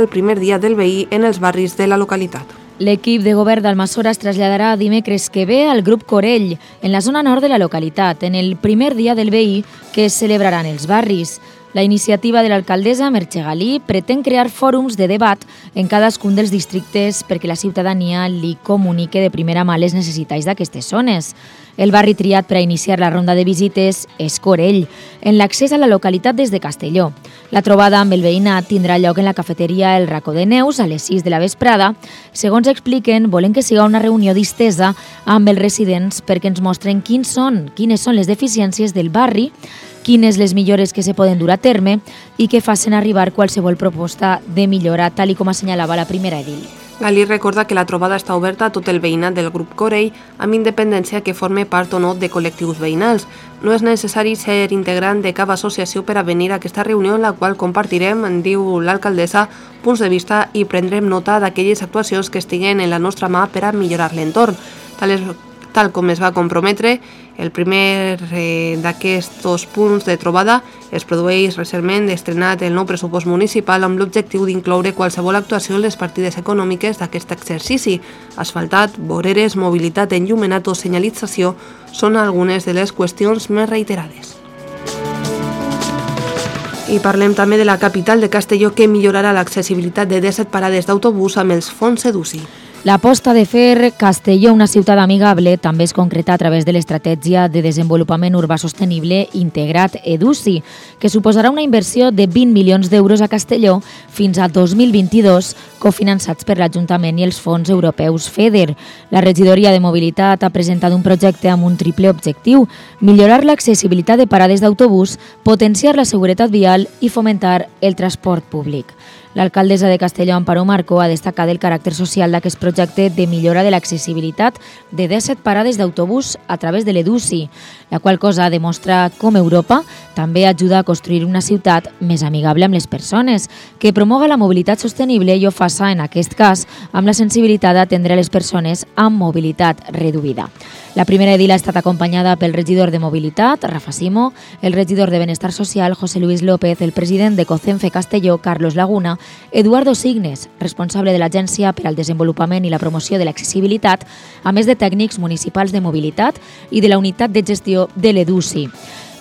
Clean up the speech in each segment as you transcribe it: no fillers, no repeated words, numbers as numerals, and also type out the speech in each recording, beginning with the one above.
el primer dia del veí en els barris de la localitat. L'equip de govern d'Almassora es traslladarà dimecres que ve al grup Corell, en la zona nord de la localitat, en el primer dia del veí que es celebrarà en els barris. La iniciativa de l'alcaldessa Merche Galí pretén crear fòrums de debat en cadascun dels districtes perquè la ciutadania li comunique de primera mà les necessitats d'aquestes zones. El barri triat per a iniciar la ronda de visites és Corell, en l'accés a la localitat des de Castelló. La trobada amb el veïnat tindrà lloc en la cafeteria El Racó de Neus a les 6 de la vesprada. Segons expliquen, volen que siga una reunió distesa amb els residents perquè ens mostren quines són les deficiències del barri, quines les millores que se poden dur a terme i que facin arribar qualsevol proposta de millora, tal com assenyalava la primera edil. Galí recorda que la trobada està oberta a tot el veïnat del grup Corell, amb independència que forme part o no de col·lectius veïnals. No és necessari ser integrant de cap associació per a venir a aquesta reunió en la qual compartirem, diu l'alcaldessa, punts de vista i prendrem nota d'aquelles actuacions que estiguen en la nostra mà per a millorar l'entorn. Tal com es va comprometre, el primer d'aquests punts de trobada es produeix recentment estrenat el nou pressupost municipal amb l'objectiu d'incloure qualsevol actuació en les partides econòmiques d'aquest exercici. Asfaltat, voreres, mobilitat, enllumenat o senyalització són algunes de les qüestions més reiterades. I parlem també de la capital de Castelló, que millorarà l'accessibilitat de 17 parades d'autobús amb els fons EDUSI. L'aposta de fer Castelló una ciutat amigable també es concreta a través de l'Estratègia de Desenvolupament Urbà Sostenible Integrat EDUSI, que suposarà una inversió de 20 milions d'euros a Castelló fins a 2022, cofinançats per l'Ajuntament i els fons europeus FEDER. La regidoria de Mobilitat ha presentat un projecte amb un triple objectiu: millorar l'accessibilitat de parades d'autobús, potenciar la seguretat vial i fomentar el transport públic. L'alcaldessa de Castelló, Amparo Marco, ha destacat el caràcter social d'aquest projecte de millora de l'accessibilitat de 17 parades d'autobús a través de l'EDUSI, la qual cosa demostra com Europa també ajuda a construir una ciutat més amigable amb les persones, que promoga la mobilitat sostenible i ho faça, en aquest cas, amb la sensibilitat d'atendre a les persones amb mobilitat reduïda. La primera edil ha estat acompanyada pel regidor de Mobilitat, Rafa Simó, el regidor de Benestar Social, José Luis López, el president de COCENFE Castelló, Carlos Laguna, Eduardo Signes, responsable de l'Agència per al Desenvolupament i la Promoció de l'Accessibilitat, a més de tècnics municipals de mobilitat i de la unitat de gestió de l'EDUSI.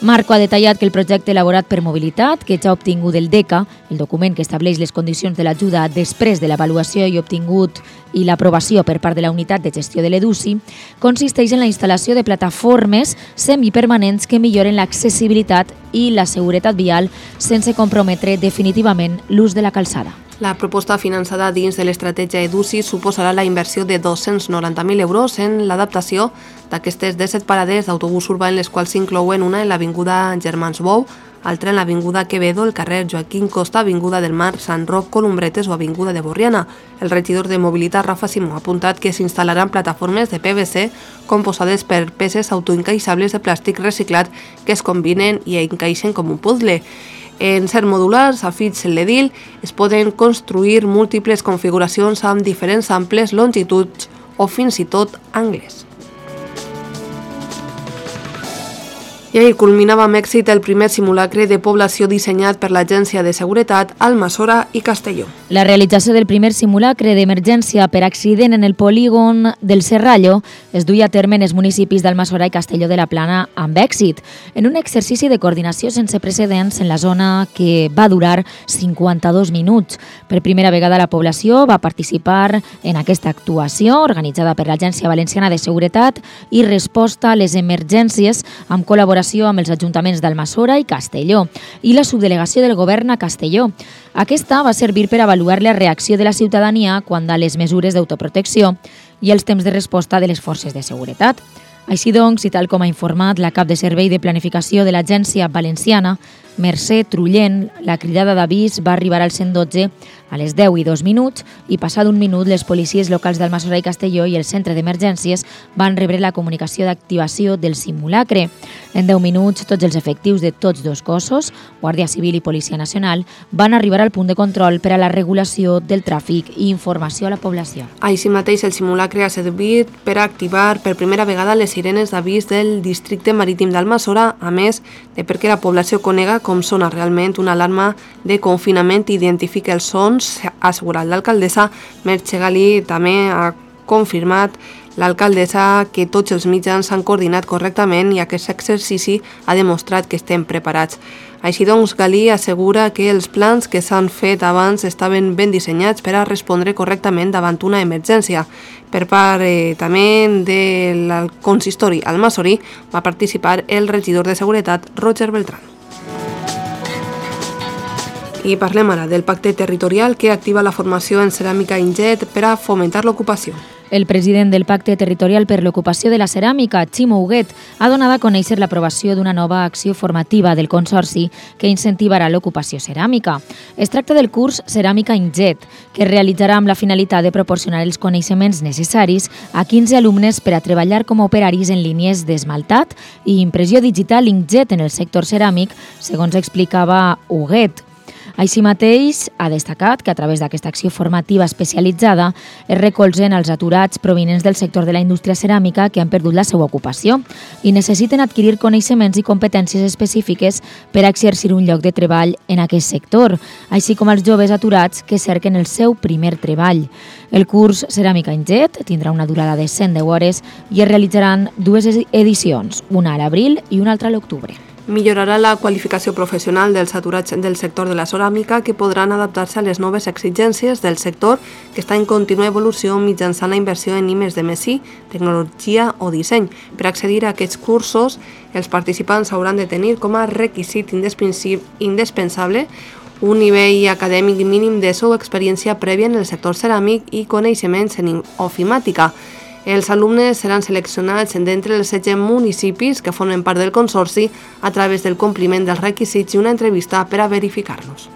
Marco ha detallat que el projecte elaborat per Mobilitat, que ja ha obtingut el DECA, el document que estableix les condicions de l'ajuda després de l'avaluació i obtingut i l'aprovació per part de la unitat de gestió de l'EDUSI, consisteix en la instal·lació de plataformes semipermanents que milloren l'accessibilitat i la seguretat vial sense comprometre definitivament l'ús de la calçada. La proposta finançada dins de l'estratègia EDUSI suposarà la inversió de 290.000 euros en l'adaptació d'aquestes 17 parades d'autobús urbà, en les quals s'inclouen una en l'avinguda Germans Bou, altra en l'avinguda Quevedo, el carrer Joaquín Costa, avinguda del Mar, Sant Roc, Columbretes o avinguda de Borriana. El regidor de Mobilitat, Rafa Simó, ha apuntat que s'instal·laran plataformes de PVC composades per peces autoencaixables de plàstic reciclat que es combinen i encaixen com un puzzle. En ser modulars, afegeix l'edil, es poden construir múltiples configuracions amb diferents amples, longituds o fins i tot angles. I ahir culminava amb èxit el primer simulacre de població dissenyat per l'Agència de Seguretat, Almassora i Castelló. La realització del primer simulacre d'emergència per accident en el polígon del Serrallo es duia a terme en els municipis d'Almassora i Castelló de la Plana amb èxit, en un exercici de coordinació sense precedents en la zona que va durar 52 minuts. Per primera vegada la població va participar en aquesta actuació organitzada per l'Agència Valenciana de Seguretat i Resposta a les Emergències amb col·laboració amb els ajuntaments d'Almassora i Castelló i la subdelegació del govern a Castelló. Aquesta va servir per avaluar la reacció de la ciutadania quant a les mesures d'autoprotecció i els temps de resposta de les forces de seguretat. Així doncs, i tal com ha informat la cap de servei de planificació de l'Agència Valenciana, Mercè Trullent, la cridada d'avís va arribar al 112 a les 10:02 i passat un minut les policies locals d'Almassora i Castelló i el centre d'emergències van rebre la comunicació d'activació del simulacre. En 10 minuts, tots els efectius de tots dos cossos, Guàrdia Civil i Policia Nacional, van arribar al punt de control per a la regulació del tràfic i informació a la població. Així mateix, el simulacre ha servit per activar per primera vegada les sirenes d'avís del districte marítim d'Almassora, a més de perquè la població conega com sona realment una alarma de confinament i identifica els sons, ha assegurat l'alcaldessa. Merche Galí també ha confirmat l'alcaldessa que tots els mitjans s'han coordinat correctament i aquest exercici ha demostrat que estem preparats. Així doncs, Galí assegura que els plans que s'han fet abans estaven ben dissenyats per a respondre correctament davant una emergència. Per part també del consistori almassorí va participar el regidor de Seguretat, Roger Beltrán. I parlem ara del pacte territorial que activa la formació en ceràmica Inget per a fomentar l'ocupació. El president del Pacte Territorial per l'Ocupació de la Ceràmica, Ximo Huguet, ha donat a conèixer l'aprovació d'una nova acció formativa del Consorci que incentivarà l'ocupació ceràmica. Es tracta del curs Ceràmica Inget, que es realitzarà amb la finalitat de proporcionar els coneixements necessaris a 15 alumnes per a treballar com a operaris en línies d'esmaltat i impressió digital Inkjet en el sector ceràmic, segons explicava Huguet. Així mateix, ha destacat que a través d'aquesta acció formativa especialitzada es recolzen els aturats provinents del sector de la indústria ceràmica que han perdut la seva ocupació i necessiten adquirir coneixements i competències específiques per a exercir un lloc de treball en aquest sector, així com els joves aturats que cerquen el seu primer treball. El curs Ceràmica Inget tindrà una durada de 110 hores i es realitzaran dues edicions, una a l'abril i una altra a l'octubre. Millorarà la qualificació professional dels aturats del sector de la ceràmica que podran adaptar-se a les noves exigències del sector que està en contínua evolució mitjançant la inversió en I+D+I, tecnologia o disseny. Per accedir a aquests cursos, els participants hauran de tenir com a requisit indispensable un nivell acadèmic mínim d'ESO o experiència prèvia en el sector ceràmic i coneixements en ofimàtica. Els alumnes seran seleccionats d'entre els 16 municipis que formen part del Consorci a través del compliment dels requisits i una entrevista per a verificar-los.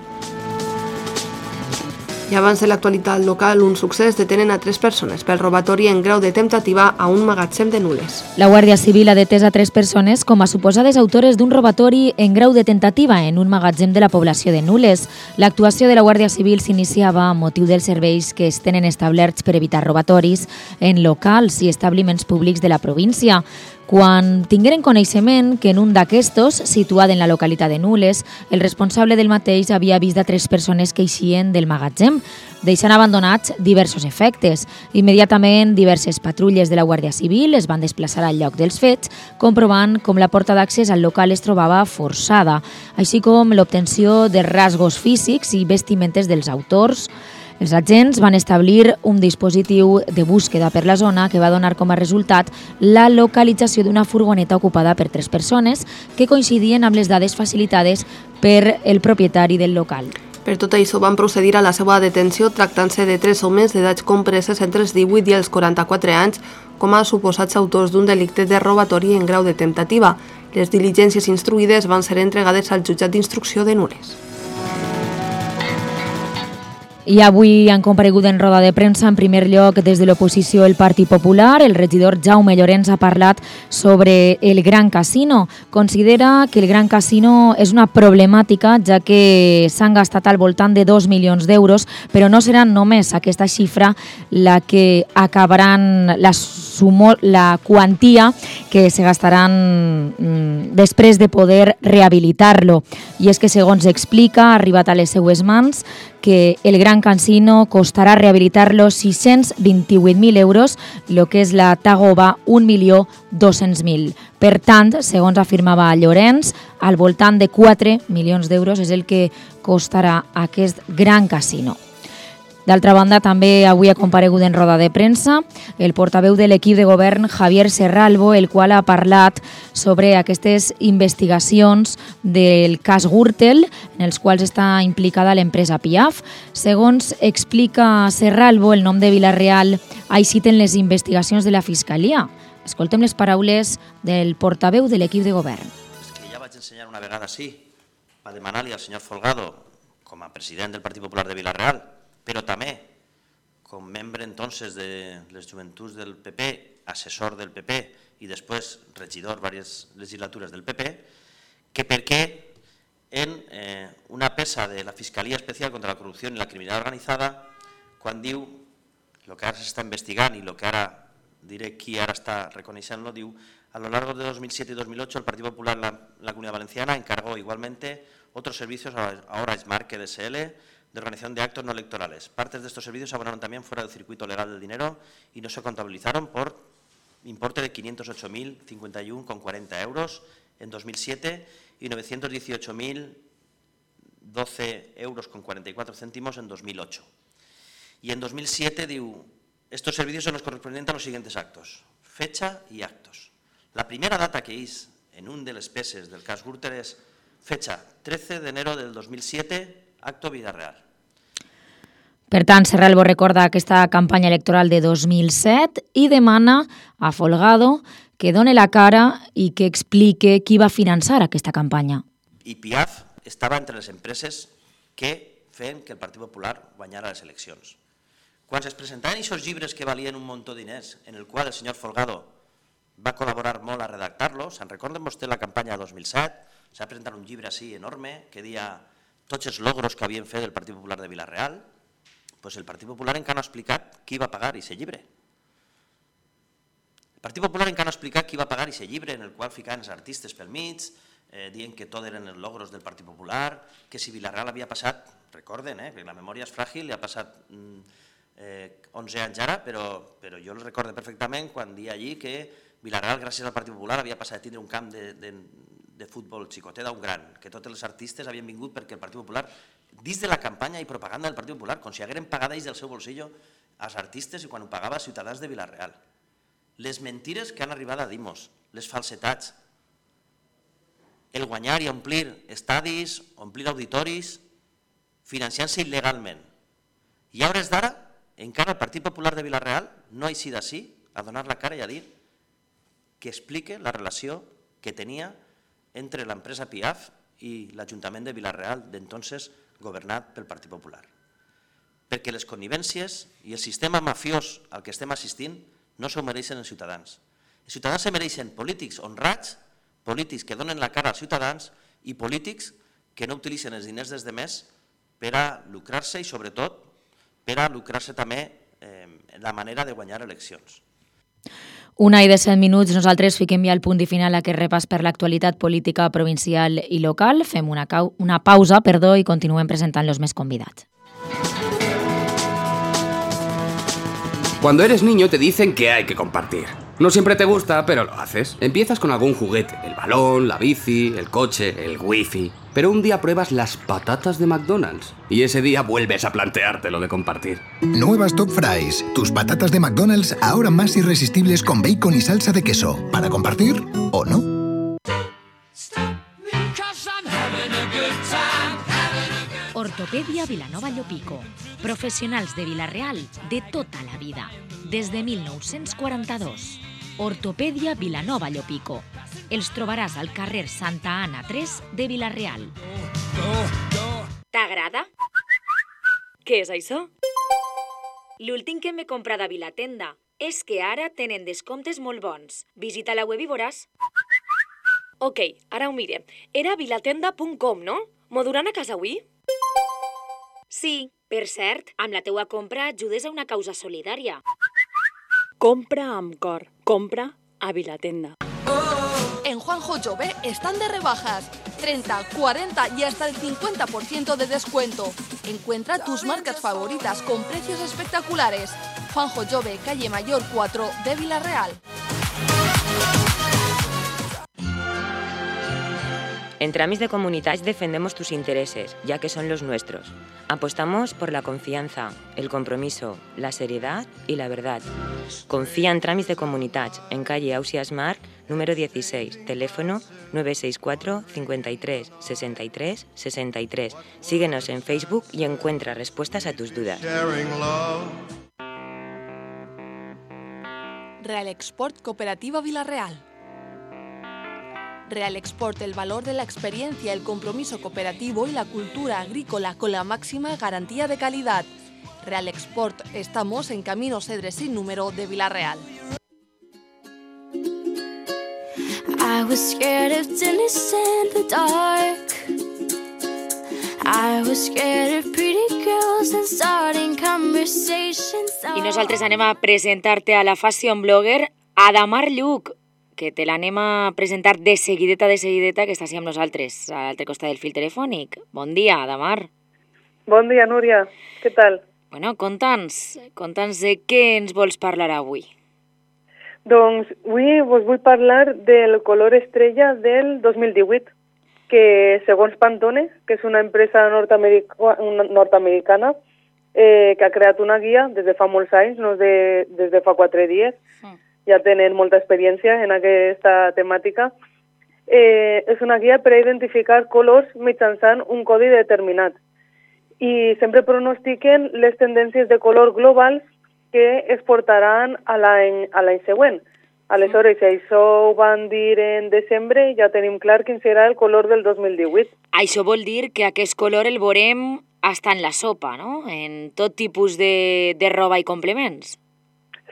I abans de l'actualitat local, un succés: detenen a 3 persones pel robatori en grau de temptativa a un magatzem de Nules. La Guàrdia Civil ha detès a 3 persones com a suposades autores d'un robatori en grau de tentativa en un magatzem de la població de Nules. L'actuació de la Guàrdia Civil s'iniciava a motiu dels serveis que es tenen establerts per evitar robatoris en locals i establiments públics de la província. Quan tingueren coneixement que en un d'aquestos, situat en la localitat de Nules, el responsable del mateix havia vist a 3 persones que eixien del magatzem, deixant abandonats diversos efectes. Immediatament, diverses patrulles de la Guàrdia Civil es van desplaçar al lloc dels fets, comprovant com la porta d'accés al local es trobava forçada, així com l'obtenció de rasgos físics i vestimentes dels autors. Els agents van establir un dispositiu de búsqueda per la zona que va donar com a resultat la localització d'una furgoneta ocupada per 3 persones que coincidien amb les dades facilitades per el propietari del local. Per tot això van procedir a la seva detenció tractant-se de 3 homes d'edats compreses entre els 18 i els 44 anys com a suposats autors d'un delicte de robatori en grau de temptativa. Les diligències instruïdes van ser entregades al jutjat d'instrucció de Nules. I avui han comparegut en roda de premsa, en primer lloc, des de l'oposició el Partit Popular. El regidor Jaume Llorens ha parlat sobre el Gran Casino. Considera que el Gran Casino és una problemàtica, ja que s'han gastat al voltant de 2 milions d'euros, però no serà només aquesta xifra la que acabaran la quantia que se gastaran després de poder rehabilitar-lo. I és que, segons explica, ha arribat a les seues mans que el Gran Casino costarà rehabilitar-lo 628.000 euros, el que és la Tagoba 1.200.000. Per tant, segons afirmava Llorens, al voltant de 4 milions d'euros és el que costarà aquest Gran Casino. D'altra banda, també avui ha comparegut en roda de premsa el portaveu de l'equip de govern, Javier Serralbo, el qual ha parlat sobre aquestes investigacions del cas Gürtel, en els quals està implicada l'empresa Piaf. Segons explica Serralbo, el nom de Vila-real ha eixit en les investigacions de la Fiscalia. Escoltem les paraules del portaveu de l'equip de govern. És que ja vaig ensenyar una vegada així, va demanar-li al senyor Folgado, com a president del Partit Popular de Vila-real, però també com membre entonces de les joventuts del PP, assessor del PP i després regidor diverses legislatures del PP, que per què en una peça de la Fiscalia Especial contra la Corrupció i la Criminalitat Organitzada, quan diu el que ara s'està investigant i el que ara diré qui ara está reconociéndolo, diu: a lo largo de 2007 y 2008 el Partido Popular en la Comunidad Valenciana encargó igualmente otros servicios a Orange que DSL de organización de actos no electorales. Partes de estos servicios se abonaron también fuera del circuito legal del dinero y no se contabilizaron por importe de 508.051,40 euros en 2007 y 918.012 euros con 44 céntimos en 2008. Y en 2007 diu: estos servicios son los correspondientes a los siguientes actos: fecha y actos. La primera data que és en un de les peces del cas Gürtel és fecha 13 de enero del 2007, acto Vida Real. Per tant, Serralbo recorda aquesta campanya electoral de 2007 i demana a Folgado que doni la cara i que explique qui va finançar aquesta campanya. I Piaf estava entre les empreses que feien que el Partit Popular guanyara les eleccions. Quan es presentaven aquests llibres que valien un munt de diners, en el qual el senyor Folgado va col·laborar molt a redactar-lo, se'n recorden vostè la campanya de 2007? S'ha presentat un llibre així enorme que deia tots els logros que havien fet el Partit Popular de Vila-real. Pues el Partit Popular encara no ha explicat qui va pagar aquest llibre. El Partit Popular encara no ha explicat qui va pagar aquest llibre, en el qual ficaven els artistes pel mig, dient que tot eren els logros del Partit Popular, que si Vila-real havia passat, recorden, que la memòria és fràgil, li ha passat 11 anys ara, però jo el recordo perfectament quan dia allí que Vila-real, gràcies al Partit Popular, havia passat a tindre un camp de futbol xicotet a un gran, que tots els artistes havien vingut perquè el Partit Popular, dins de la campanya i propaganda del Partit Popular, com si hagueren pagat ells del seu bolsillo als artistes i quan ho pagava als ciutadans de Vila-real. Les mentires que han arribat a dir-nos, les falsetats, el guanyar i omplir estadis, omplir auditoris, financiant-se il·legalment. I a hores d'ara, encara el Partit Popular de Vila-real no ha eixit d'ací a donar la cara i a dir que explique la relació que tenia entre l'empresa Piaf i l'Ajuntament de Vila-real d'entonces governat pel Partit Popular. Perquè les connivències i el sistema mafiós al que estem assistint no s'ho mereixen els ciutadans. Els ciutadans se mereixen polítics honrats, polítics que donen la cara als ciutadans i polítics que no utilitzen els diners des de més per a lucrar-se i sobretot per a lucrar-se també la manera de guanyar eleccions. 1:17, nosaltres fiquem ja el punt i final a aquest repàs per l'actualitat política provincial i local. Fem una pausa i continuem presentant los més convidats. Cuando eres niño te dicen que hay que compartir. No siempre te gusta, pero lo haces. Empiezas con algún juguete, el balón, la bici, el coche, el wifi. Pero un día pruebas las patatas de McDonald's y ese día vuelves a plantearte lo de compartir. Nuevas Top Fries, tus patatas de McDonald's ahora más irresistibles con bacon y salsa de queso. ¿Para compartir o no? Ortopedia Vilanova Llopico. Professionals de Vila-real de tota la vida. Des de 1942. Ortopedia Vilanova Llopico. Els trobaràs al carrer Santa Anna 3 de Vila-real. T'agrada? Què és això? L'últim que m'he comprat a Vilatenda és que ara tenen descomptes molt bons. Visita la web i veuràs. Ok, ara ho mirem. Era vilatenda.com, no? M'ho duran a casa avui? Sí, per cert, amb la teua compra ajudes a una causa solidària. Compra amb cor. Compra a Vilatenda. En Juanjo Jove están de rebajas. 30, 40 y hasta el 50% de descuento. Encuentra tus marcas favoritas con precios espectaculares. Juanjo Jove, calle Mayor 4 de Vila-real. En Tramis de Comunitats defendemos tus intereses, ya que son los nuestros. Apostamos por la confianza, el compromiso, la seriedad y la verdad. Confía en Tramis de Comunitats, en calle Ausias Marc, número 16, teléfono 964 53 63 63. Síguenos en Facebook y encuentra respuestas a tus dudas. Real Export Cooperativa Vila-real. Real Export, el valor de la experiencia, el compromiso cooperativo y la cultura agrícola con la máxima garantía de calidad. Real Export, estamos en Camino Cedre sin número de Vila-real. I was scared of tennis in the dark. I nosaltres anem a presentar-te a la fashion blogger Adamar Lluc, que te l'anem a presentar de seguideta, que està així amb nosaltres, a l'altre costat del fil telefònic. Bon dia, Adamar. Bon dia, Núria. Què tal? Bueno, conta'ns de què ens vols parlar avui. Doncs avui vos vull parlar del color estrella del 2018, que segons Pantone, que és una empresa nord-americana, que ha creat una guia des de fa molts anys, no des de fa 4 dies, ja tenen molta experiència en aquesta temàtica. És una guia per a identificar colors mitjançant un codi determinat. I sempre pronostiquen les tendències de color globals que es portaran a l'any següent. Aleshores, si això ho van dir en desembre, ja tenim clar quin serà el color del 2018. Això vol dir que aquest color el veurem hasta en la sopa, no? En tot tipus de roba i complements.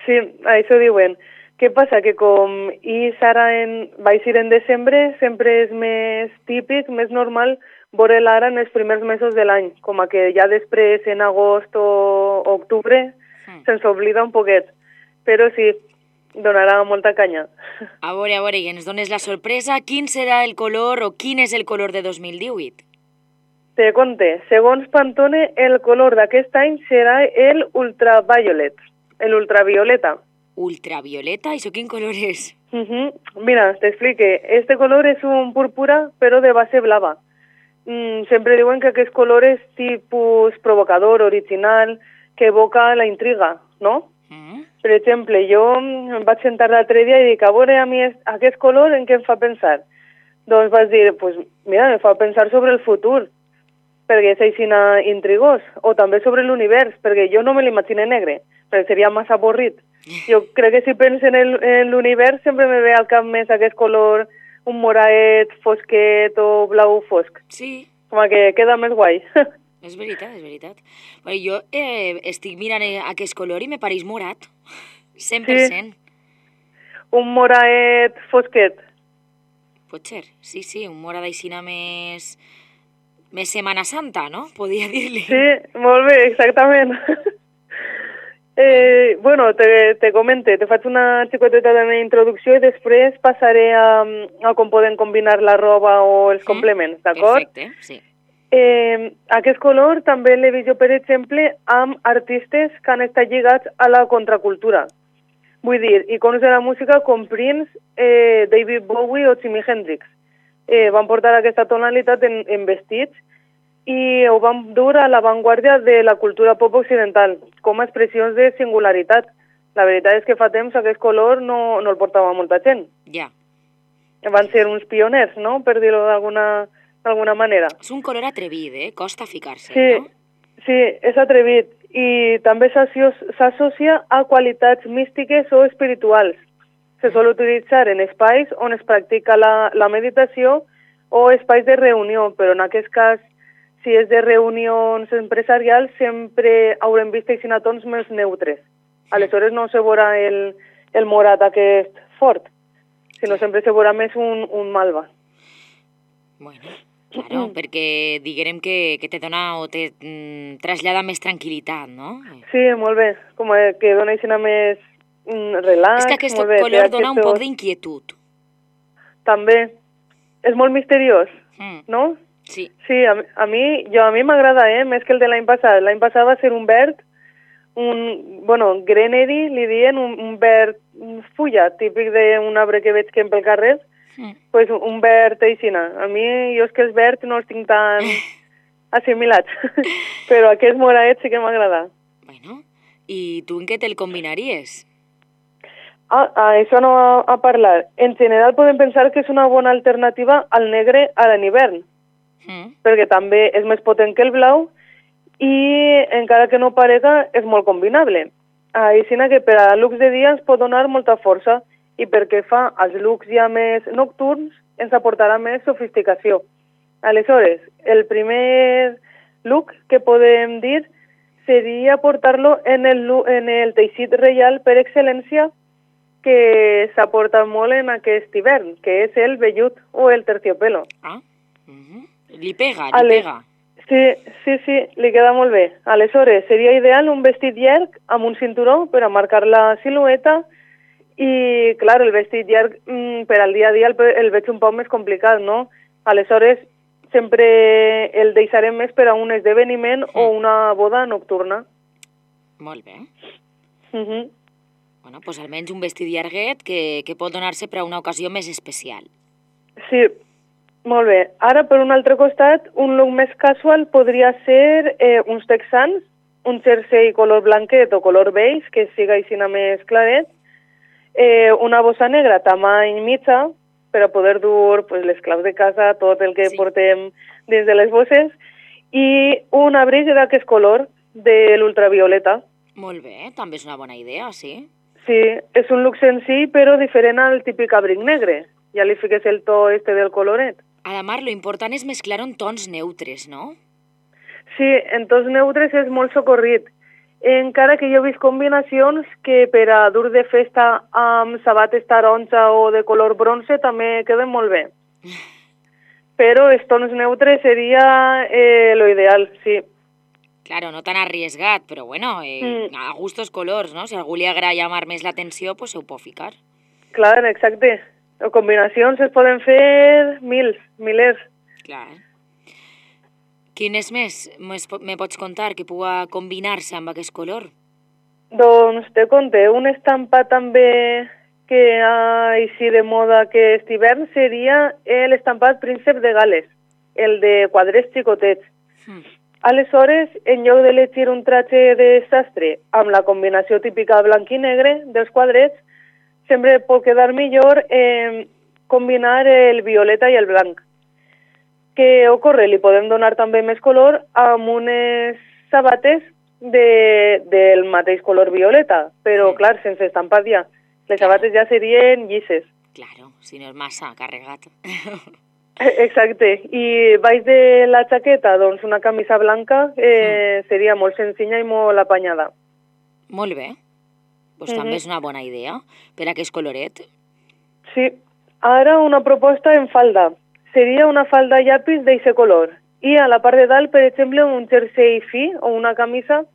Sí, això diuen. Què passa? Que com vaig ir en desembre, sempre és més típic, més normal, veure l'ara en els primers mesos de l'any, com que ja després, en agost o octubre, se'ns oblida un poquet. Però sí, donarà molta canya. A veure, i ens dones la sorpresa. Quin serà el color o quin és el color de 2018? Te conté. Segons Pantone, el color d'aquest any serà el ultraviolet, l'ultravioleta. Ultravioleta? Això quin color és? Mira, t'explique. Este color és un púrpura, però de base blava. Sempre diuen que aquest color és tipus provocador, original, que evoca la intriga, no? Per exemple, jo em vaig sentar l'altre dia i dic, a veure, a mi aquest color en què em fa pensar? Doncs vaig dir, pues, mira, em fa pensar sobre el futur, perquè és així intrigós, o també sobre l'univers, perquè jo no me l'imagino negre, perquè seria massa avorrit. Jo crec que si penso en l'univers sempre me ve al cap més aquest color, un moraet, fosquet o blau fosc. Sí. Com que queda més guai. És veritat. Bueno, jo estic mirant aquest color i me pareix morat. 100%. Sí. Un moraet fosquet. Pot ser, sí, un morat aixina més Setmana Santa, no? Podria dir-li. Sí, molt bé, exactament. Bueno, te comente, te faig una xicoteta de meva introducció i després passaré a com podem combinar la roba o els complements, d'acord? Perfecte, sí. Aquest color també l'he vist jo, per exemple, amb artistes que han estat lligats a la contracultura. Vull dir, iconos de la música com Prince, David Bowie o Jimi Hendrix. Van portar aquesta tonalitat en vestits i ho van dur a l'avantguàrdia de la cultura pop occidental, com a expressions de singularitat. La veritat és que fa temps aquest color no el portava molta gent. Ja. Van ser uns pioners, no?, per dir-ho d'alguna manera. És un color atrevit, costa ficar-se, sí, no? Sí, és atrevit i també s'associa a qualitats místiques o espirituals. Se sol utilitzar en espais on es practica la meditació o espais de reunió, però en aquest cas, si és de reunions empresarials, sempre haurem vist tons més neutres. Aleshores no se veurà el morat aquest fort, sinó sempre se veurà més un malva. Bueno, claro, perquè diguem que te dona o te trasllada més tranquil·litat, no? Sí, molt bé, com que dona així més relax. És que aquest color dona un poc d'inquietud. També. És molt misteriós, no? Sí. Sí, a mi m'agrada, més que el de l'any passat. L'any passat va ser un verd, grenady, li diuen, un verd fulla, típic d'un arbre que veig que pel carrer, pues un verd aixina. A mi, jo és que els verds no els tinc tan assimilats, però aquest moraet sí que m'agrada. Bueno, i tu en què te'l combinaries? Això no a parlar. En general podem pensar que és una bona alternativa al negre a l'hivern, perquè també és més potent que el blau i encara que no parega és molt combinable. Així que per a looks de dia ens pot donar molta força i perquè fa als looks ja més nocturns ens aportarà més sofisticació. Aleshores, el primer look que podem dir seria portar-lo en el teixit reial per excel·lència que s'aporta molt en aquest hivern, que és el vellut o el terciopelo. Li pega. Sí, li queda molt bé. Aleshores, seria ideal un vestit llarg amb un cinturó per a marcar la silueta i, clar, el vestit llarg per al dia a dia el veig un poc més complicat, no? Aleshores, sempre el deixarem més per a un esdeveniment o una boda nocturna. Molt bé. Bueno, doncs almenys un vestit llarguet que pot donar-se per a una ocasió més especial. Sí, molt bé. Ara, per un altre costat, un look més casual podria ser uns texans, un jersei color blanquet o color beige, que siga així més claret, una bossa negra tamany mitja, per a poder dur les claus de casa, tot el que portem dins de les bosses, i un abric d'aquest color, de l'ultravioleta. Molt bé, també és una bona idea, sí. Sí, és un look senzill, però diferent al típic abric negre. Ja li fiques el to del coloret. A la Mar, lo important és mesclar en tons neutres, no? Sí, en tons neutres és molt socorrit. Encara que jo he vist combinacions que per a dur de festa amb sabates taronja o de color bronze també queden molt bé. Però els tons neutres seria lo ideal, sí. Claro, no tan arriesgat, però bueno, a gustos colors, no? Si a algú li agrada llamar més l'atenció, pues ho pot ficar. Clar, exacte. Combinacions es poden fer milers. Clar. Quines més me pots contar que pugui combinar-se amb aquest color? Doncs te conté, un estampat també que així de moda aquest hivern seria l'estampat Príncep de Gales, el de quadrets xicotets. Aleshores, en lloc d'elegir un traje de sastre amb la combinació típica blanc i negre dels quadrets, sempre pot quedar millor combinar el violeta i el blanc. Què ocorre? Li podem donar també més color amb unes sabates del mateix color violeta, però clar, sense estampat ja. Les sabates ja serien llisses. Claro, si no és massa carregat. Exacte. I baix de la jaqueta, doncs una camisa blanca seria molt senzilla i molt apanyada. Molt bé. Doncs també és una bona idea per a aquest coloret. Sí. Ara una proposta en falda. Seria una falda llapis d'aquest color. I a la part de dalt, per exemple, un jersei fi o una camisa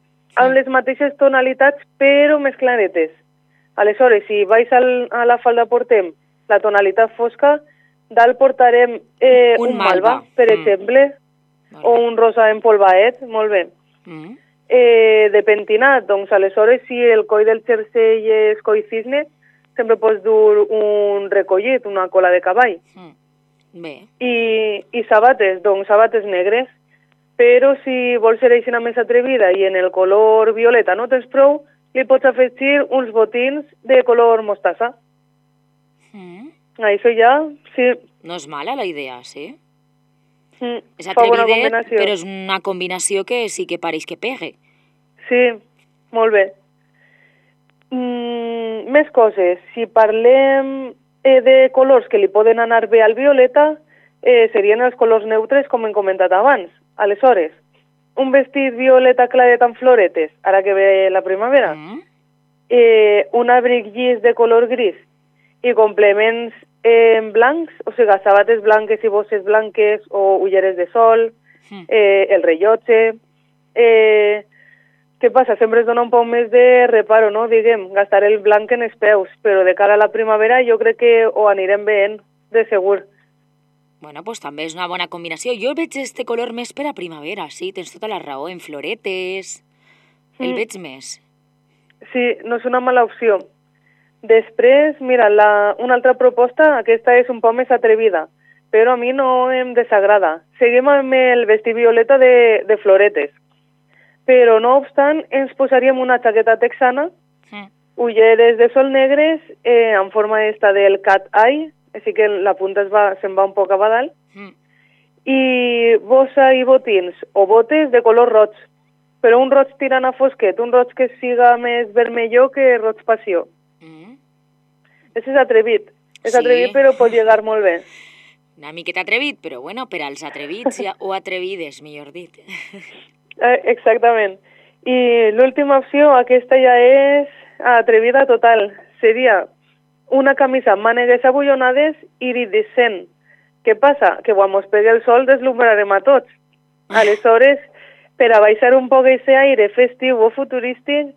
amb les mateixes tonalitats però més claretes. Aleshores, si baix a la falda portem la tonalitat fosca, dalt portarem un malva, per exemple, o un rosa empolvaet, molt bé. De pentinat, doncs aleshores si el coll del jersei és coll cisne, sempre pots dur un recollit, una cola de cavall. Bé. I sabates, doncs sabates negres, però si vols ser així més atrevida i en el color violeta no tens prou, li pots afegir uns botins de color mostassa. Això ja, sí. No és mala la idea, sí? És fa bona atrevidet, combinació. però és una combinació que sí que pareix que pegue. Sí, molt bé. Més coses. Si parlem de colors que li poden anar bé al violeta, serien els colors neutres, com hem comentat abans. Aleshores, un vestit violeta claret amb floretes, ara que ve la primavera, un abric llis de color gris i complements blancs, o sigui, sabates blanques i bosses blanques o ulleres de sol, el rellotge. Què passa? Sempre es dona un poc més de reparo, no? Diguem, gastar el blanc en els peus, però de cara a la primavera jo crec que ho anirem veient, de segur. Bueno, doncs també és una bona combinació. Jo veig este color més per a primavera, sí, tens tota la raó, en floretes, el veig més. Sí, no és una mala opció. Després, mira, una altra proposta, aquesta és un poc més atrevida, però a mi no em desagrada. Seguim amb el vestit violeta de floretes, però no obstant ens posaríem una jaqueta texana, ulleres de sol negres en forma esta del cat eye, així que la punta se'n va un poc cap a dalt, i bossa i botins o botes de color roig, però un roig tirant a fosquet, un roig que siga més vermelló que roig passió. És atrevit. És atrevit, però pot llegar molt bé. Una miqueta atrevit, però bueno, per als atrevits o atrevides, millor dit. Exactament. I l'última opció, aquesta ja és atrevida total. Seria una camisa amb mànegues abollonades iridescent. Què passa? Que quan mos pegui el sol deslumbrarem a tots. Aleshores, per a baixar un poc aquest aire festiu o futurístic,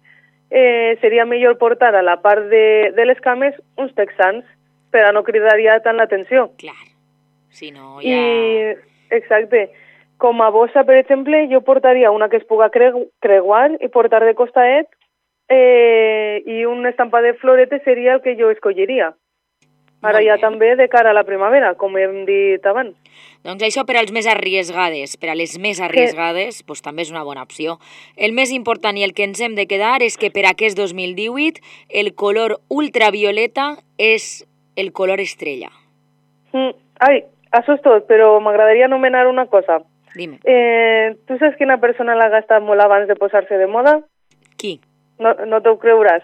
seria millor portar a la part de les cames uns texans per a no cridar ja tant l'atenció. Clar, si no ja... Exacte. Com a bossa, per exemple, jo portaria una que es puga creuar i portar de costaet i un estampat de floretes seria el que jo escolliria. Ara ja també de cara a la primavera, com hem dit abans. Doncs això per als més arriesgades. Per a les més arriesgades, doncs també és una bona opció. El més important i el que ens hem de quedar és que per aquest 2018 el color ultravioleta és el color estrella. Ai, això és tot, però m'agradaria anomenar una cosa. Dime. Tu saps quina persona l'ha gastat molt abans de posar-se de moda? Qui? No t'ho creuràs.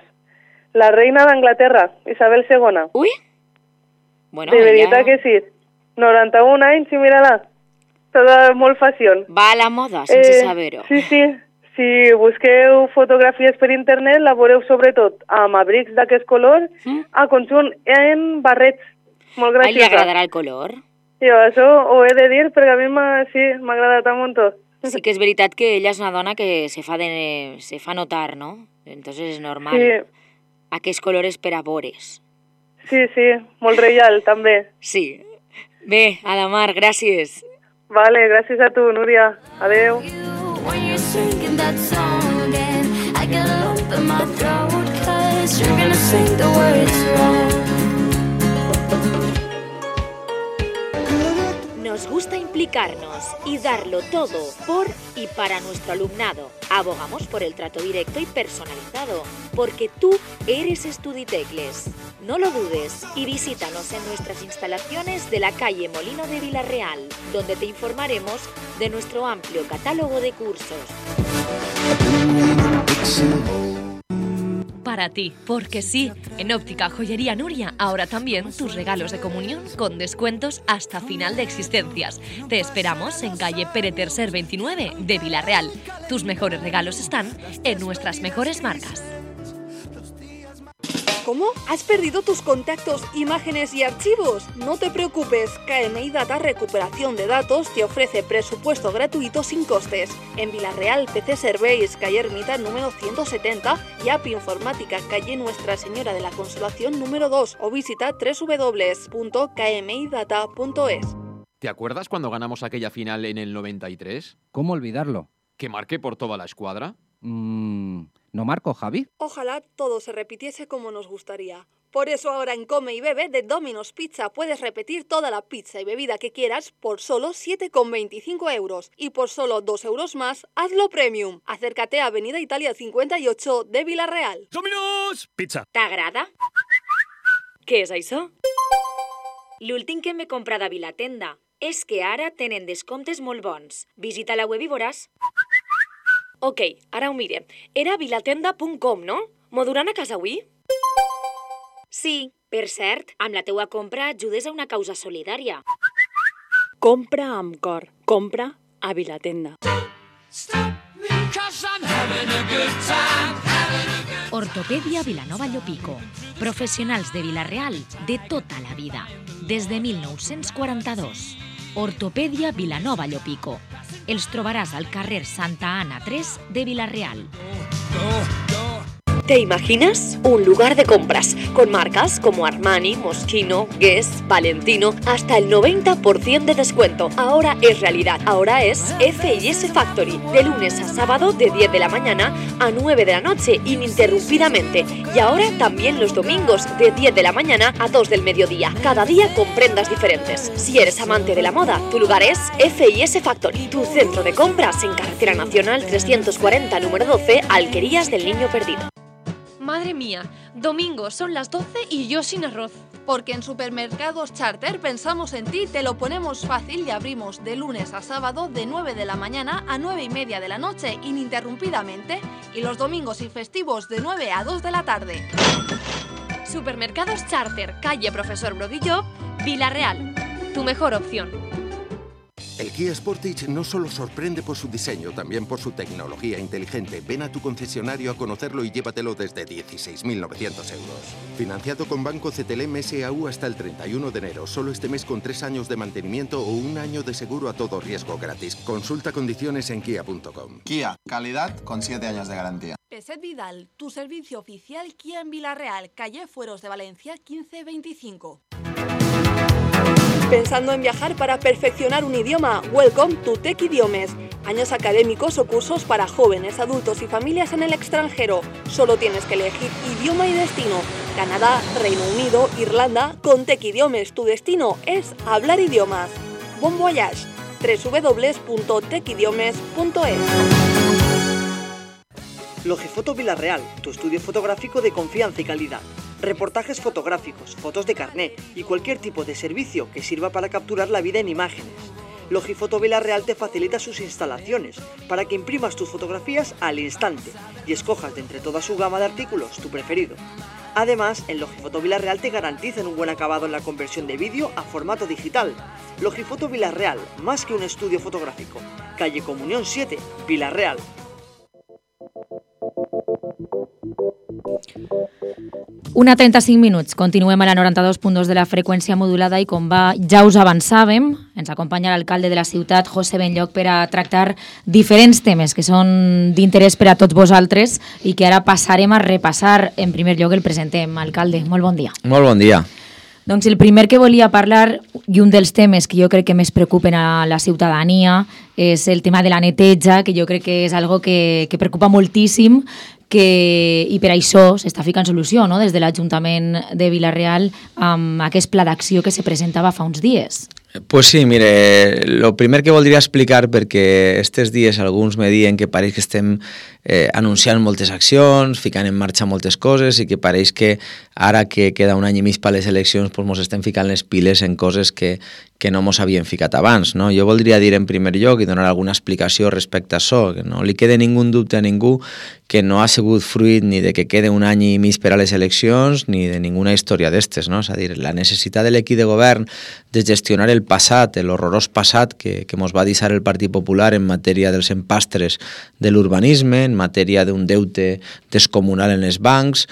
La reina d'Anglaterra, Isabel II. Ui! Bueno, de veritat que sí. 91 anys i mira-la. Tota molt fashion. Va a la moda, sense saber-ho. Sí. Si busqueu fotografies per internet, la veureu sobretot amb abrics d'aquest color, a conjunt en barrets. Molt graciosa. Li agradarà el color? Jo això ho he de dir perquè a mi m'ha agradat un muntó. Sí que és veritat que ella és una dona que se fa notar, ¿no? Entonces és normal. Sí. Aquests colors per a vores. Sí, molt reial, també. Sí. Bé, Adamar, gràcies. Vale, gràcies a tu, Núria. Adeu. Nos gusta implicarnos y darlo todo por y para nuestro alumnado. Abogamos por el trato directo y personalizado, porque tú eres Estuditecles. No lo dudes y visítanos en nuestras instalaciones de la calle Molino de Villarreal, donde te informaremos de nuestro amplio catálogo de cursos. Para ti, porque sí, en Óptica Joyería Nuria, ahora también tus regalos de comunión con descuentos hasta final de existencias. Te esperamos en calle Pere Tercer 29 de Villarreal. Tus mejores regalos están en nuestras mejores marcas. ¿Cómo? ¿Has perdido tus contactos, imágenes y archivos? No te preocupes, KMI Data Recuperación de Datos te ofrece presupuesto gratuito sin costes. En Villarreal, PC Serveis, calle Ermita número 170 y App Informática, calle Nuestra Señora de la Consolación número 2 o visita www.kmidata.es. ¿Te acuerdas cuando ganamos aquella final en el 93? ¿Cómo olvidarlo? ¿Que marqué por toda la escuadra? ¿No marco, Javi? Ojalá todo se repitiese como nos gustaría. Por eso ahora en Come y Bebe de Domino's Pizza puedes repetir toda la pizza y bebida que quieras por solo 7,25 euros. Y por solo 2 euros más, hazlo premium. Acércate a Avenida Italia 58 de Villarreal. Domino's Pizza. T'agrada? Què és això? L'últim que m'he comprat a Vilatenda és que ara tenen descomptes molt bons. Visita la web i veuràs. Ok, ara ho mire. Era vilatenda.com, no? M'ho duran a casa avui? Sí, per cert, amb la teua compra ajudes a una causa solidària. Compra amb cor. Compra a Vilatenda. Ortopedia Vilanova Llopico. Professionals de Vila-real de tota la vida. Des de 1942. Ortopedia Vilanova Llopico. Els trobaràs al carrer Santa Ana 3 de Vila-real. ¿Te imaginas? Un lugar de compras con marcas como Armani, Moschino, Guess, Valentino, hasta el 90% de descuento. Ahora es realidad. Ahora es F&S Factory. De lunes a sábado de 10 de la mañana a 9 de la noche ininterrumpidamente. Y ahora también los domingos de 10 de la mañana a 2 del mediodía. Cada día con prendas diferentes. Si eres amante de la moda, tu lugar es F&S Factory. Tu centro de compras en Carretera Nacional 340, número 12, Alquerías del Niño Perdido. Madre mía, domingo son las 12 y yo sin arroz. Porque en Supermercados Charter pensamos en ti, te lo ponemos fácil y abrimos de lunes a sábado de 9 de la mañana a 9 y media de la noche ininterrumpidamente y los domingos y festivos de 9 a 2 de la tarde. Supermercados Charter, calle Profesor Brodillo, Vila-real. Tu mejor opción. El Kia Sportage no solo sorprende por su diseño, también por su tecnología inteligente. Ven a tu concesionario a conocerlo y llévatelo desde 16.900 euros. Financiado con Banco CTLM SAU hasta el 31 de enero. Solo este mes con 3 años de mantenimiento o 1 año de seguro a todo riesgo gratis. Consulta condiciones en kia.com. Kia, calidad con 7 años de garantía. Peset Vidal, tu servicio oficial Kia en Villarreal, calle Fueros de Valencia 1525. ¿Pensando en viajar para perfeccionar un idioma? Welcome to Tech Idiomes. Años académicos o cursos para jóvenes, adultos y familias en el extranjero. Solo tienes que elegir idioma y destino. Canadá, Reino Unido, Irlanda. Con Tech Idiomes tu destino es hablar idiomas. Bon voyage. www.techidiomes.es. Logifoto Villarreal, tu estudio fotográfico de confianza y calidad. Reportajes fotográficos, fotos de carné y cualquier tipo de servicio que sirva para capturar la vida en imágenes. Logifoto Villarreal te facilita sus instalaciones para que imprimas tus fotografías al instante y escojas de entre toda su gama de artículos tu preferido. Además, en Logifoto Villarreal te garantizan un buen acabado en la conversión de vídeo a formato digital. Logifoto Villarreal, más que un estudio fotográfico. Calle Comunión 7, Villarreal. 1:35 minuts. Continuem a la 92.2 de la freqüència modulada i com ja us avançàvem, ens acompanya l'alcalde de la ciutat, José Benlloch, per a tractar diferents temes que són d'interès per a tots vosaltres i que ara passarem a repassar. En primer lloc el presentem. Alcalde, molt bon dia. Molt bon dia. Doncs el primer que volia parlar, i un dels temes que jo crec que més preocupen a la ciutadania, és el tema de la neteja, que jo crec que és algo que preocupa moltíssim, i per això s'està ficant solució, no?, des de l'Ajuntament de Villarreal amb aquest pla d'acció que se presentava fa uns dies. Pues sí, mire, lo primer que voldria explicar, perquè estes dies alguns me diuen que pareix que estem anunciant moltes accions, ficant en marxa moltes coses i que pareix que ara que queda un any i mig per les eleccions pues mos estem ficant les piles en coses que no mos havien ficat abans, no? Jo voldria dir en primer lloc i donar alguna explicació respecte a això, que no li quede ningú dubte a ningú que no ha sigut fruit ni de que quede un any i mig per a les eleccions ni de ninguna història d'estes, no? És a dir, la necessitat de l'equip de govern de gestionar el passat, l'horrorós passat que mos va deixar el Partit Popular en matèria dels empastres de l'urbanisme, en matèria d'un deute descomunal en els bancs,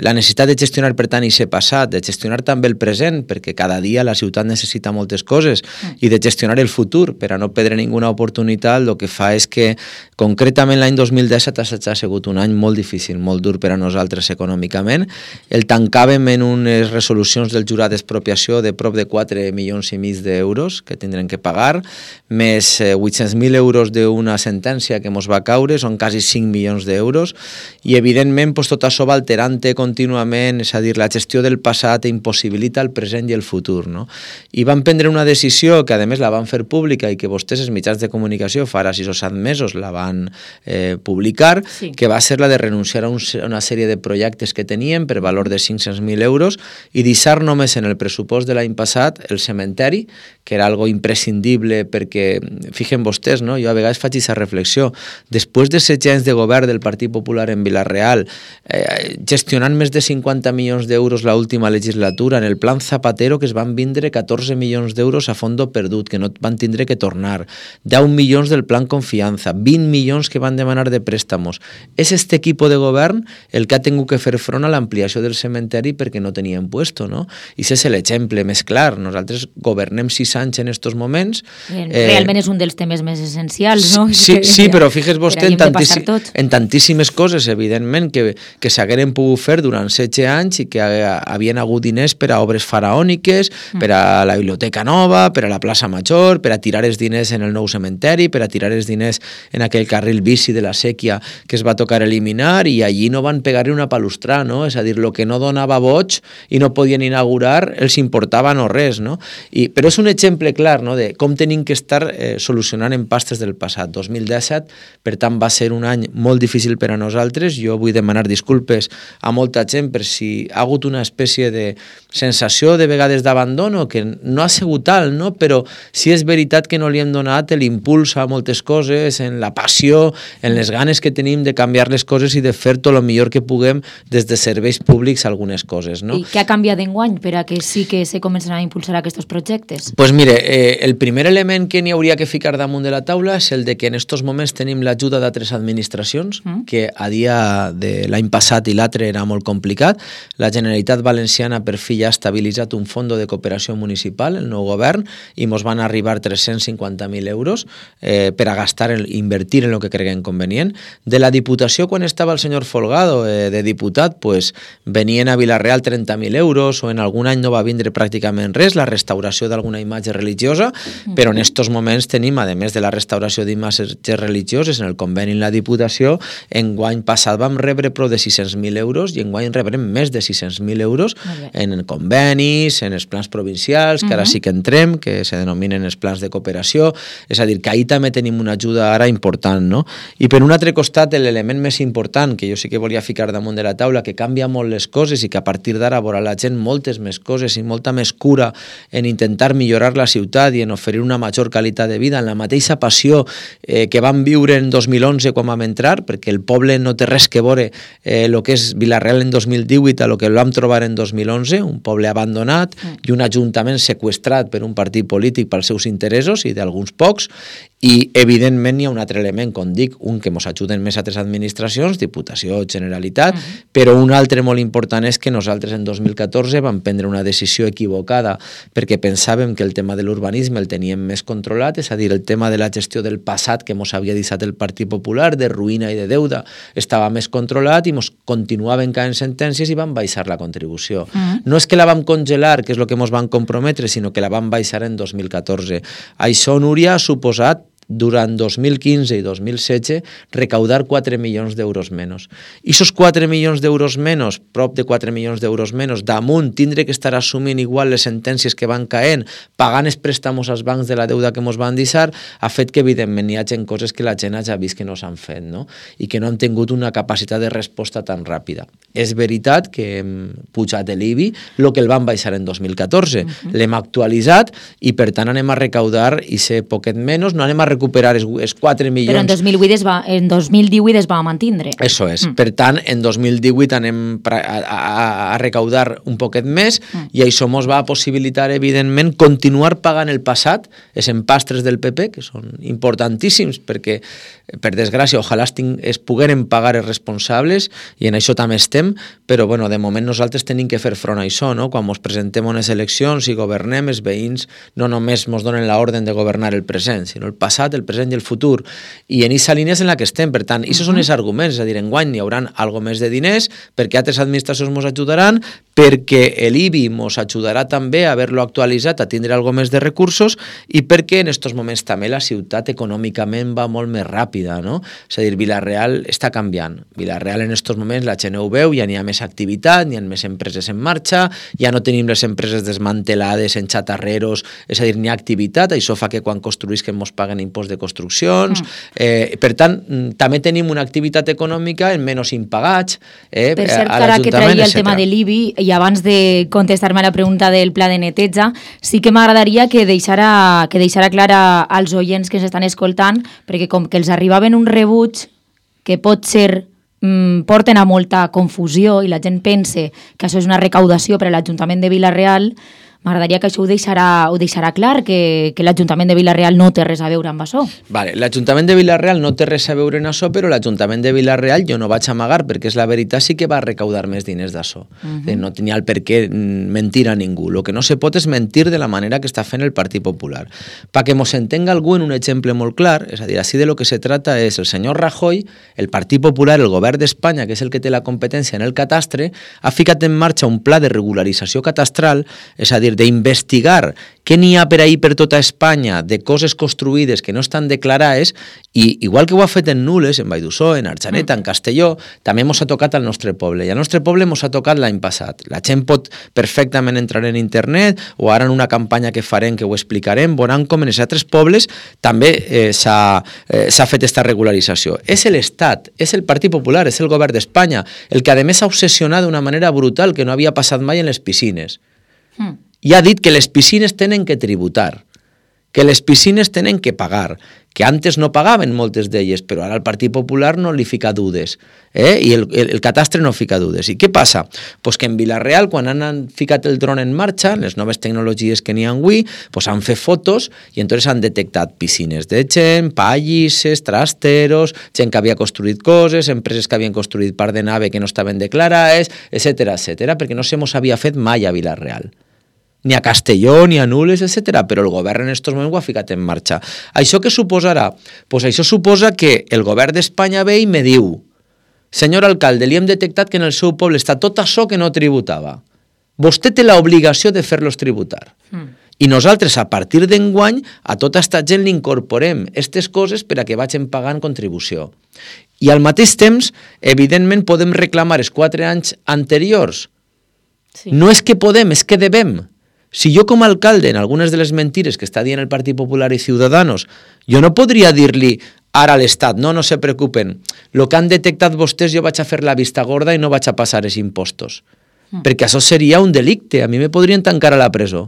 la necessitat de gestionar, per tant, aquest passat, de gestionar també el present, perquè cada dia la ciutat necessita moltes coses, i de gestionar el futur, per a no perdre ninguna oportunitat, el que fa és que, concretament l'any 2017 ha sigut un any molt difícil, molt dur per a nosaltres econòmicament. El tancàvem en unes resolucions del jurat d'expropiació de prop de 4,5 milions d'euros que tindrem que pagar, més 800.000 euros d'una sentència que mos va caure, són quasi 5 milions d'euros, i evidentment tot això va alterant contínuament, és a dir, la gestió del passat impossibilita el present i el futur, no? I van prendre una decisió que a més la van fer pública i que vostès, els mitjans de comunicació, fa ara 6 o 7 mesos la van publicar, sí, que va ser la de renunciar a una sèrie de projectes que teníem per valor de 500.000 euros i deixar només en el pressupost de l'any passat el cementeri, que era algo imprescindible perquè, fixen vostès, no? Jo a vegades faig aquesta reflexió, després de 7 anys de govern del Partit Popular en Villarreal, gestionant més de 50 milions d'euros l'última legislatura, en el plan Zapatero que es van vindre 14 milions d'euros a fondo perdut, que no van tindre que tornar, 10 milions del plan Confiança, 20 milions que van demanar de préstamos. És este equip de govern el que ha tingut que fer front a l'ampliació del cementeri perquè no tenien puesto, no? I aquest és l'exemple més clar. Nosaltres governem 6 anys en estos moments. Realment és un dels temes més essencials, no? Sí, però fixes vostè en tantíssimes coses, evidentment, que s'hagueren pogut fer durant 16 anys i que havien hagut diners per a obres faraòniques, per a la biblioteca nova, per a la plaça Major, per a tirar els diners en el nou cementeri, per a tirar els diners en aquell carril bici de la sèquia que es va tocar eliminar, i allí no van pegar-hi una palustra, no? És a dir, el que no donava boig i no podien inaugurar els importava no res, no? Però és un exemple clar, no?, de com tenim que estar solucionant empastes del passat. 2017, per tant, va ser un any molt difícil per a nosaltres. Jo vull demanar disculpes a molta gent per si ha hagut una espècie de sensació de vegades d'abandono, que no ha sigut sigut alt, no? Però sí és veritat que no li hem donat l'impuls a moltes coses, en la passió, en les ganes que tenim de canviar les coses i de fer tot el millor que puguem des de serveis públics algunes coses, no? I què ha canviat d'enguany per a que sí que se comencen a impulsar aquests projectes? Pues mire, el primer element que n'hi hauria que ficar damunt de la taula és el de que en estos moments tenim l'ajuda d'altres administracions, que a dia de l'any passat i l'altre era molt complicat. La Generalitat Valenciana per fi ja ha estabilitzat un fons de cooperació municipal, el nou govern, i mos van arribar 350.000 euros per a gastar, invertir en el que creguem convenient. De la Diputació, quan estava el senyor Folgado de diputat, pues, venien a Vila-real 30.000 euros, o en algun any no va vindre pràcticament res, la restauració d'alguna imatge religiosa, però en estos moments tenim, a més de la restauració d'imatges religioses, en el conveni en la Diputació, enguany passat vam rebre prou de 600.000 euros i enguany rebrem més de 600.000 euros en convenis, en els plans provincials, que ara sí que entrem, que se denominen els plans de cooperació, és a dir, que ahir també tenim una ajuda ara important, no? I per un altre costat, l'element més important, que jo sí que volia ficar damunt de la taula, que canvia molt les coses i que a partir d'ara veurà la gent moltes més coses i molta més cura en intentar millorar la ciutat i en oferir una major qualitat de vida, en la mateixa passió que vam viure en 2011 quan vam entrar, perquè el poble no té res que veure el que és Vila-real en 2018 a lo que el vam trobar en 2011, un poble abandonat i un ajuntament seqüestrat per un partit polític pels seus interessos i d'alguns pocs, i evidentment hi ha un altre element, com dic, un que ens ajuden més altres administracions, Diputació, Generalitat, però un altre molt important és que nosaltres en 2014 vam prendre una decisió equivocada perquè pensàvem que el tema de l'urbanisme el teníem més controlat, és a dir, el tema de la gestió del passat que ens havia deixat el Partit Popular, de ruïna i de deuda, estava més controlat i ens continuaven caient sentències i vam baixar la contribució. No és que la vam congelar, que és el que ens van comprometre, sinó que la vam baixar en 2014. Això, Núria, ha suposat durant 2015 i 2016 recaudar 4 milions d'euros menys. I aquests 4 milions d'euros menys, prop de 4 milions d'euros menys, damunt tindre que estar assumint igual les sentències que van caent, pagant els préstamos als bancs de la deuda que ens van deixar, ha fet que evidentment hi hagi coses que la gent ha vist que no s'han fet, no? I que no han tingut una capacitat de resposta tan ràpida. És veritat que hem pujat l'IBI, el que el van baixar en 2014. L'hem actualitzat i per tant anem a recaudar i ser poquet menys, no anem a recuperar els 4 milions... Però en 2018 es va mantindre. Això és. Per tant, en 2018 anem a recaudar un poquet més i això ens va possibilitar, evidentment, continuar pagant el passat, els empastres del PP, que són importantíssims, perquè, per desgràcia, ojalà es pogueren pagar els responsables, i en això també estem, però, bueno, de moment nosaltres tenim que fer front a això, no? Quan ens presentem a unes eleccions i governem, els veïns no només ens donen l'ordre de governar el present, sinó el passat, el present i el futur, i en aquesta línia és en la que estem. Per tant, aquests són els arguments, és a dir, enguany hi haurà algo més de diners, perquè altres administracions ens ajudaran, perquè l'IBI ens ajudarà també a haver-lo actualitzat, a tindre algo més de recursos, i perquè en aquests moments també la ciutat econòmicament va molt més ràpida, no? És a dir, Vila-real està canviant. Vila-real en aquests moments la gent ho veu, ja n'hi ha més activitat, n'hi ha més empreses en marxa, ja no tenim les empreses desmantelades en xatarreros, és a dir, n'hi ha activitat, això fa que quan construïsquen ens paguen impost de construccions, per tant, també tenim una activitat econòmica en menys impagats per cert, ara que traia el tema de l'IBI, i abans de contestar-me a la pregunta del pla de neteja, sí que m'agradaria que deixara clara als oients que s'estan escoltant, perquè com que els arribaven un rebuig que pot ser porten a molta confusió i la gent pense que això és una recaudació per a l'Ajuntament de Vila-real, m'agradaria que això ho deixarà clar, que l'Ajuntament de Vila-real no té res a veure amb això. Vale, l'Ajuntament de Vila-real no té res a veure en això, però l'Ajuntament de Vila-real, jo no vaig amagar, perquè és la veritat, sí que va recaudar més diners d'això. No tenia el per què mentir a ningú. El que no se pot és mentir de la manera que està fent el Partit Popular. Perquè mos entenga algú en un exemple molt clar, és a dir, així de lo que se trata és el senyor Rajoy, el Partit Popular, el govern d'Espanya, que és el que té la competència en el catastre, ha ficat en marxa un pla de regularització catastral, és a dir, d'investigar què n'hi ha per ahir per tota Espanya de coses construïdes que no estan declarades, i igual que ho ha fet en Nules, en Valldussó, en Arjaneta, en Castelló, també ens ha tocat al nostre poble, i al nostre poble ens ha tocat l'any passat. La gent pot perfectament entrar en internet, o ara en una campanya que farem, que ho explicarem, veuran com en els altres pobles també s'ha fet aquesta regularització. És l'Estat, és el Partit Popular, és el govern d'Espanya, el que a més ha obsessionat d'una manera brutal que no havia passat mai en les piscines. i ha dit que les piscines tenen que tributar, que les piscines tenen que pagar, que antes no pagaven moltes d'elles, però ara el Partit Popular no li fica dudes, i el catastre no fica dudes. I què passa? Pues que en Vila-real, quan han ficat el dron en marxa, les noves tecnologies que n'hi ha avui, pues han fet fotos i entonces han detectat piscines de gent, pallisses, trasteros, gent que havia construït coses, empreses que havien construït part de nave que no estaven declarades, etcètera, perquè no se mos havia fet mai a Vila-real. Ni a Castelló, ni a Nules, etc. Però el govern en aquests moments ho ha ficat en marxa. Això què suposarà? Pues això suposa que el govern d'Espanya ve i me diu: senyor alcalde, li hem detectat que en el seu poble està tot això que no tributava. Vostè té l'obligació de fer-los tributar. I nosaltres, a partir d'enguany, a tota aquesta gent li incorporem aquestes coses per a que vagin pagant contribució. I al mateix temps, evidentment, podem reclamar els 4 anys anteriors. No és que podem, és que devem. Si jo com a alcalde, en algunes de les mentires que està dient el Partit Popular i Ciudadanos, jo no podria dir-li ara a l'Estat, no se preocupen, el que han detectat vostès jo vaig a fer la vista gorda i no vaig a passar els impostos. Perquè això seria un delicte, a mi me podrien tancar a la presó.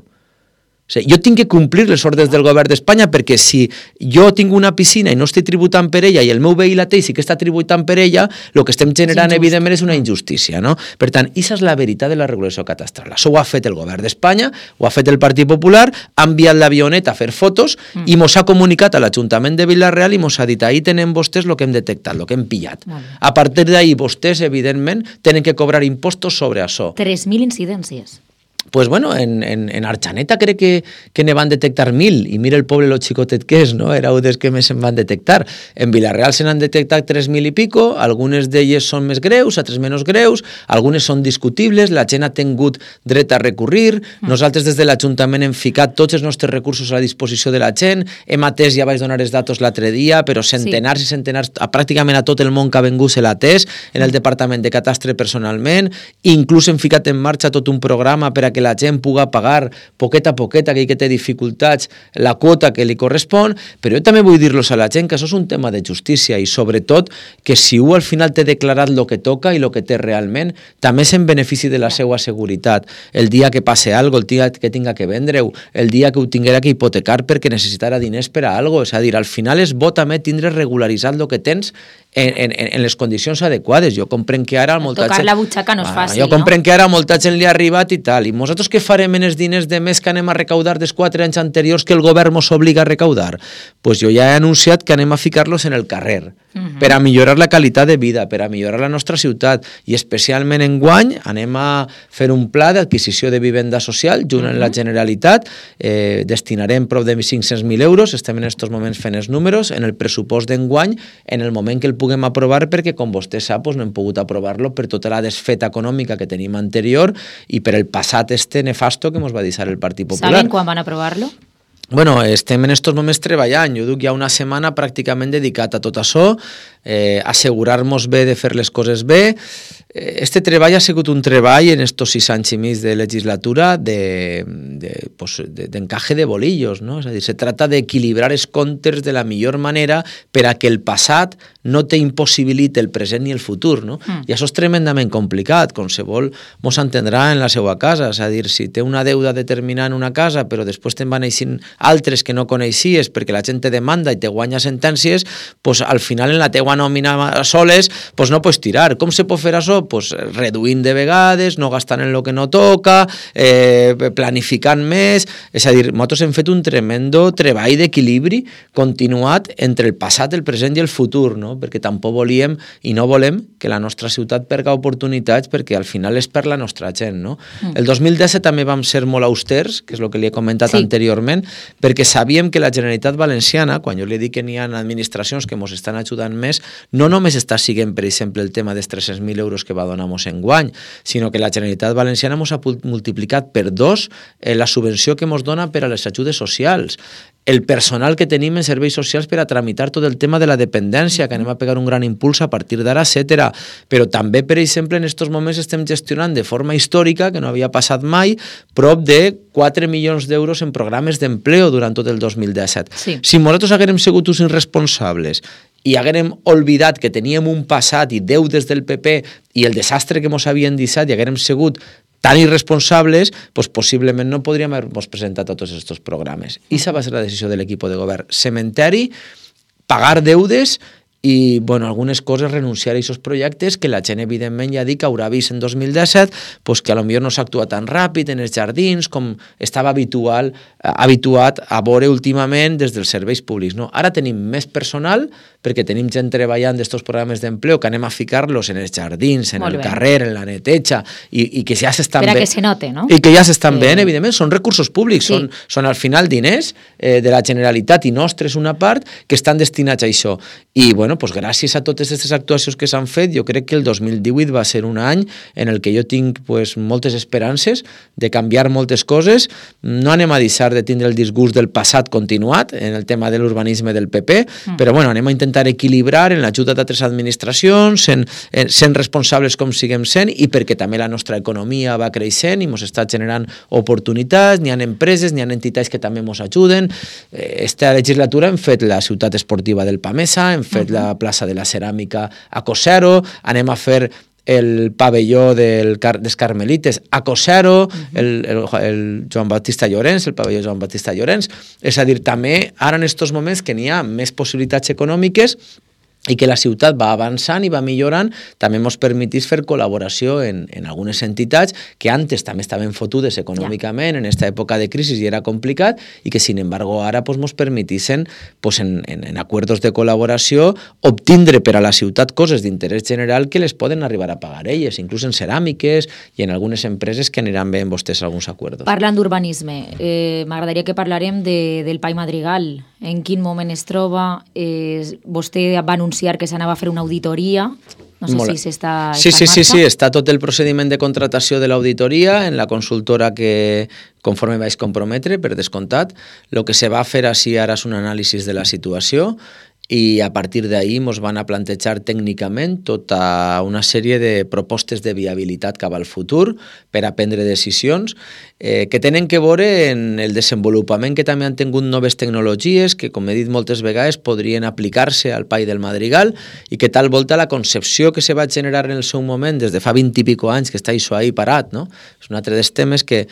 O sigui, jo tinc que complir les ordres del govern d'Espanya perquè si jo tinc una piscina i no estic tributant per ella i el meu veí la té i sí que està tributant per ella, el que estem generant evidentment és una injustícia, no? Per tant, aquesta és la veritat de la regulació catastral. Això ho ha fet el govern d'Espanya, ho ha fet el Partit Popular, ha enviat l'avioneta a fer fotos i mos ha comunicat a l'Ajuntament de Vila-real i mos ha dit: ahí tenen vostès el que hem detectat, el que hem pillat. A partir d'ahí vostès, evidentment, tenen que cobrar impostos sobre això. 3.000 incidències. Pues bueno, en Arxaneta crec que ne van detectar 1.000 i mira el poble lo xicotet que és, no? Era un dels que més se'n van detectar. En Vila-real se n'han detectat 3.000 i pico, algunes d'elles són més greus, altres menys greus, algunes són discutibles, la gent ha tingut dret a recurrir, nosaltres des de l'Ajuntament hem ficat tots els nostres recursos a la disposició de la gent, hem atès, ja vaig donar els datos l'altre dia, però centenars i centenars, pràcticament a tot el món que ha vengut se l'ha atès, en el Departament de Catastre personalment, inclús hem ficat en marxa tot un programa per a que la gent puga pagar poquet a poquet, aquell que té dificultats, la quota que li correspon, però jo també vull dir-los a la gent que això és un tema de justícia i sobretot que si un al final té declarat el que toca i el que té realment, també és en benefici de la seva seguretat. El dia que passe alguna cosa, el dia que tinga que vendre-ho, el dia que ho tinguera que hipotecar perquè necessitara diners per a alguna cosa, és a dir, al final és bo també tindre regularitzat el que tens en les condicions adequades. Jo comprenc que ara molta tocar gent... la butxaca no és fàcil, jo comprenc que ara molta gent li ha arribat i tal, i nosaltres què farem en els diners de més que anem a recaudar dels 4 anys anteriors que el govern ens obliga a recaudar? Pues jo ja he anunciat que anem a ficar-los en el carrer, per a millorar la qualitat de vida, per a millorar la nostra ciutat, i especialment enguany anem a fer un pla d'adquisició de vivenda social junt amb la Generalitat, destinarem prop de 500.000 euros, estem en aquests moments fent els números, en el pressupost d'enguany, en el moment que el puguem aprovar, perquè com vostè sap no hem pogut aprovar-lo per tota la desfeta econòmica que tenim anterior i per el passat nefasto que ens va deixar el Partit Popular. ¿Saben quan van aprovar-lo? Bueno, estem en estos moments treballant. Jo duc ja una setmana pràcticament dedicat a tot això, assegurar-nos bé de fer les coses bé. Este treball ha sigut un treball en estos 6 anys i mig de legislatura d'encaje de bolillos, no? És a dir, se trata d'equilibrar els comptes de la millor manera per a que el passat no te impossibiliti el present ni el futur, no? I això és tremendament complicat, qualsevol mos entendrà en la seva casa, és a dir, si té una deuda determinada en una casa però després te'n van eixint altres que no coneixies perquè la gent te demanda i te guanya sentències, pues al final en la teua nòmina soles pues no pots tirar. Com se pot fer això? Pues reduint de vegades, no gastant en el que no toca, planificant més, és a dir, nosaltres hem fet un tremendo treball d'equilibri continuat entre el passat, el present i el futur, no? Perquè tampoc volíem i no volem que la nostra ciutat perga oportunitats perquè al final és per la nostra gent, no? El 2017 també vam ser molt austers, que és el que li he comentat anteriorment, perquè sabíem que la Generalitat Valenciana, quan jo li dic que n'hi ha administracions que ens estan ajudant més, no només està siguent, per exemple, el tema dels 300.000 euros que va donar-nos enguany, sinó que la Generalitat Valenciana ens ha multiplicat per 2 la subvenció que ens dona per a les ajudes socials, el personal que tenim en serveis socials per a tramitar tot el tema de la dependència, que anem a pegar un gran impuls a partir d'ara, etc. Però també, per exemple, en aquests moments estem gestionant de forma històrica, que no havia passat mai, prop de 4 milions d'euros en programes d'empleo durant tot el 2017. Sí. Si nosaltres haguérem sigut uns irresponsables i haguérem oblidat que teníem un passat i deutes del PP i el desastre que ens havien deixat i haguérem sigut tan irresponsables, pues possiblement no podríem haver-nos presentat a tots aquests programes. I esa va ser la decisió de l'equip de govern. Cementeri, pagar deudes i, bueno, algunes coses, renunciar a aquests projectes que la gent, evidentment, ja dic que haurà vist en 2017 pues, que potser no s'actua tan ràpid en els jardins com estava habituat a veure últimament des dels serveis públics. No? Ara tenim més personal perquè tenim gent treballant d'estos programes d'empleo que anem a ficar-los en els jardins, en el carrer, en la neteja, i que ja s'estan bé. Per a que se note, no? I que ja s'estan bé, evidentment, són recursos públics, són al final diners de la Generalitat i nostres una part que estan destinats a això. I, bueno, pues, gràcies a totes aquestes actuacions que s'han fet, jo crec que el 2018 va ser un any en el que jo tinc pues, moltes esperances de canviar moltes coses. No anem a deixar de tindre el disgust del passat continuat en el tema de l'urbanisme del PP, però bueno, anem a intentar equilibrar en l'ajuda d'altres administracions, sent responsables com siguem sent, i perquè també la nostra economia va creixent i ens està generant oportunitats, n'hi ha empreses, n'hi ha entitats que també ens ajuden. Esta legislatura hem fet la ciutat esportiva del Pamesa, hem fet la plaça de la Ceràmica a Cosero, anem a fer el pavelló dels Carmelites a Cosero, el Joan Baptista Llorenç, el pavelló Joan Baptista Llorenç. És a dir, també ara en aquests moments que n'hi ha més possibilitats econòmiques i que la ciutat va avançant i va millorant, també ens permetís fer col·laboració en algunes entitats que antes també estaven fotudes econòmicament en aquesta època de crisi i era complicat, i que, sin embargo, ara ens permetissin en acords de col·laboració obtindre per a la ciutat coses d'interès general que les poden arribar a pagar elles, inclús en ceràmiques i en algunes empreses que aniran bé en vostès alguns acords. Parlant d'urbanisme, m'agradaria que parlarem del Pai Madrigal. En quin moment es troba? Vostè va anunciar que s'anava a fer una auditoria. No sé si s'està en marxa. Sí, està tot el procediment de contratació de l'auditoria en la consultora que conforme vaig comprometre, per descomptat. El que se va fer així ara és un anàlisi de la situació i a partir d'ahir ens van a plantejar tècnicament tota una sèrie de propostes de viabilitat cap al futur per a prendre decisions que tenen que veure en el desenvolupament que també han tingut noves tecnologies que, com he dit moltes vegades, podrien aplicar-se al Pai del Madrigal i que tal volta la concepció que se va generar en el seu moment des de fa 20 i pico anys que està això ahí parat, no? És un altre dels temes que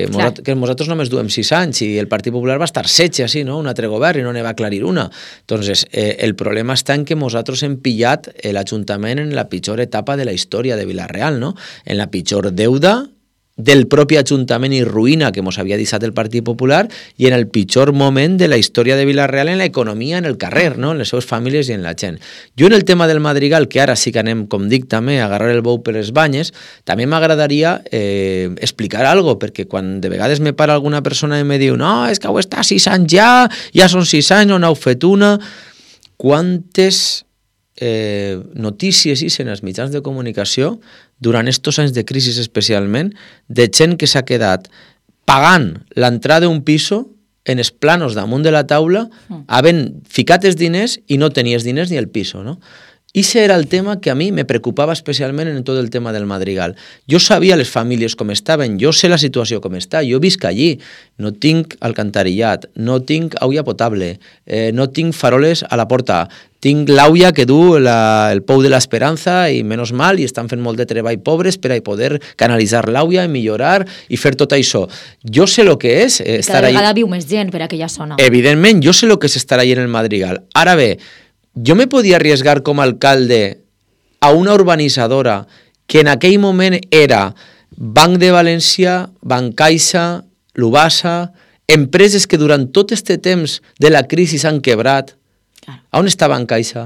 nosaltres només duem 6 anys i el Partit Popular va estar 16 així, no? Un altre govern i no ne va aclarir una. Entonces, el problema està en que nosaltres hem pillat l'Ajuntament en la pitjor etapa de la història de Vila-real, no? En la pitjor deuda del propi Ajuntament i ruïna que ens havia deixat el Partit Popular i en el pitjor moment de la història de Vila-real en l'economia, en el carrer, no? En les seves famílies i en la gent. Jo en el tema del Madrigal, que ara sí que anem, com dic també, a agarrar el bou per les banyes, també m'agradaria explicar alguna cosa, perquè quan de vegades me para alguna persona i me diu no, és que ho està 6 anys ja són 6 anys, no n'heu fet una. Quantes notícies en els mitjans de comunicació durant estos anys de crisi especialment de gent que s'ha quedat pagant l'entrada d'un piso en els planos damunt de la taula havent ficat els diners i no tenies diners ni el piso, no? I ese era el tema que a mi me preocupava especialment en tot el tema del Madrigal. Jo sabia les famílies com estaven, jo sé la situació com està, jo visc allí, no tinc alcantarillat, no tinc aigua potable, no tinc faroles a la porta, tinc l'auia que du el pou de l'Esperança i menys mal, i estan fent molt de treball pobres per a poder canalitzar l'auia i millorar i fer tot això. Jo sé el que és estar allà. Cada vegada viu més gent per aquella zona. Evidentment, jo sé el que és estar allà en el Madrigal. Ara bé, jo me podia arriesgar com a alcalde a una urbanitzadora que en aquell moment era Banc de València, Bancaixa, Lubasa, empreses que durant tot aquest temps de la crisi s'han quebrat. On està Bancaixa?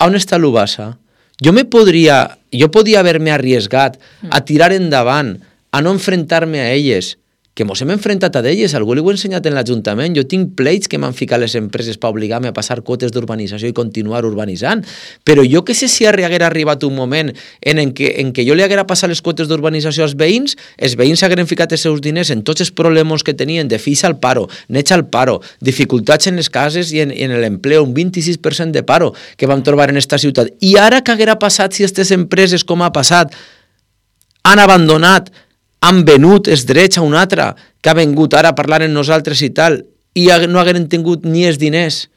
On està Lubasa? Jo podia haver-me arriesgat a tirar endavant, a no enfrontar-me a elles, que mos hem enfrontat a elles, algú li ho he ensenyat en l'Ajuntament, jo tinc pleits que m'han ficat les empreses per obligar-me a passar quotes d'urbanització i continuar urbanitzant, però jo que sé si haguera arribat un moment en què jo li haguera passat les quotes d'urbanització als veïns, els veïns hagueren ficat els seus diners en tots els problemes que tenien de fills al paro, nets al paro, dificultats en les cases i en l'empleo, un 26% de paro que vam trobar en esta ciutat. I ara què haguera passat si aquestes empreses, com ha passat, han abandonat, han venut els drets a un altre que ha vengut ara a parlar amb nosaltres i tal, i no hagueren tingut ni els diners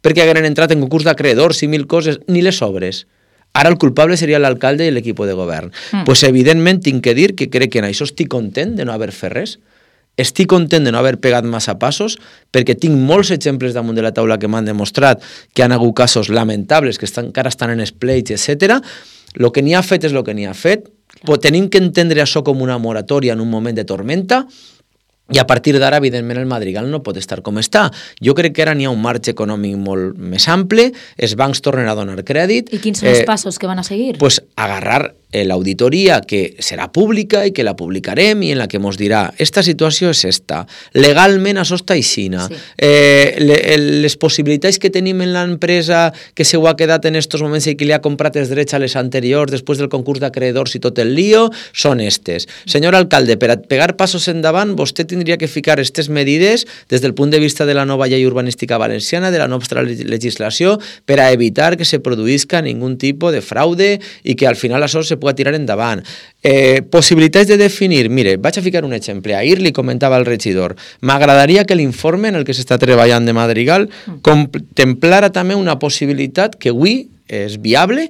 perquè hagueren entrat en concurs d'acreedors i 1000 coses, ni les obres. Ara el culpable seria l'alcalde i l'equip de govern. Pues evidentment tinc que dir que crec que en això estic content de no haver fet res. Estic content de no haver pegat massa passos perquè tinc molts exemples damunt de la taula que m'han demostrat que han hagut casos lamentables que encara estan en espleits, etc. El que n'hi ha fet és el que n'hi ha fet. Tenim que entendre això com una moratòria en un moment de tormenta i a partir d'ara, evidentment, el Madrigal no pot estar com està. Jo crec que ara n'hi ha un marge econòmic molt més ample, els bancs tornen a donar crèdit. I quins són els passos que van a seguir? Pues agarrar l'auditoria que serà pública i que la publicarem i en la que ens dirà esta situació és esta, legalment això està aixina, les possibilitats que tenim en l'empresa que se ho ha quedat en estos moments i que li ha comprat els drets a les anteriors després del concurs d'acreedors i tot el lío, són estes. Senyor alcalde, per a pegar passos endavant vostè tindria que ficar aquestes medides des del punt de vista de la nova llei urbanística valenciana, de la nostra legislació, per a evitar que se produïsca ningun tipus de fraude i que al final això se pugui tirar endavant. Possibilitats de definir, mire, vaig a ficar un exemple. Ahir li comentava al regidor, m'agradaria que l'informe en el que s'està treballant de Madrigal contemplara també una possibilitat que avui és viable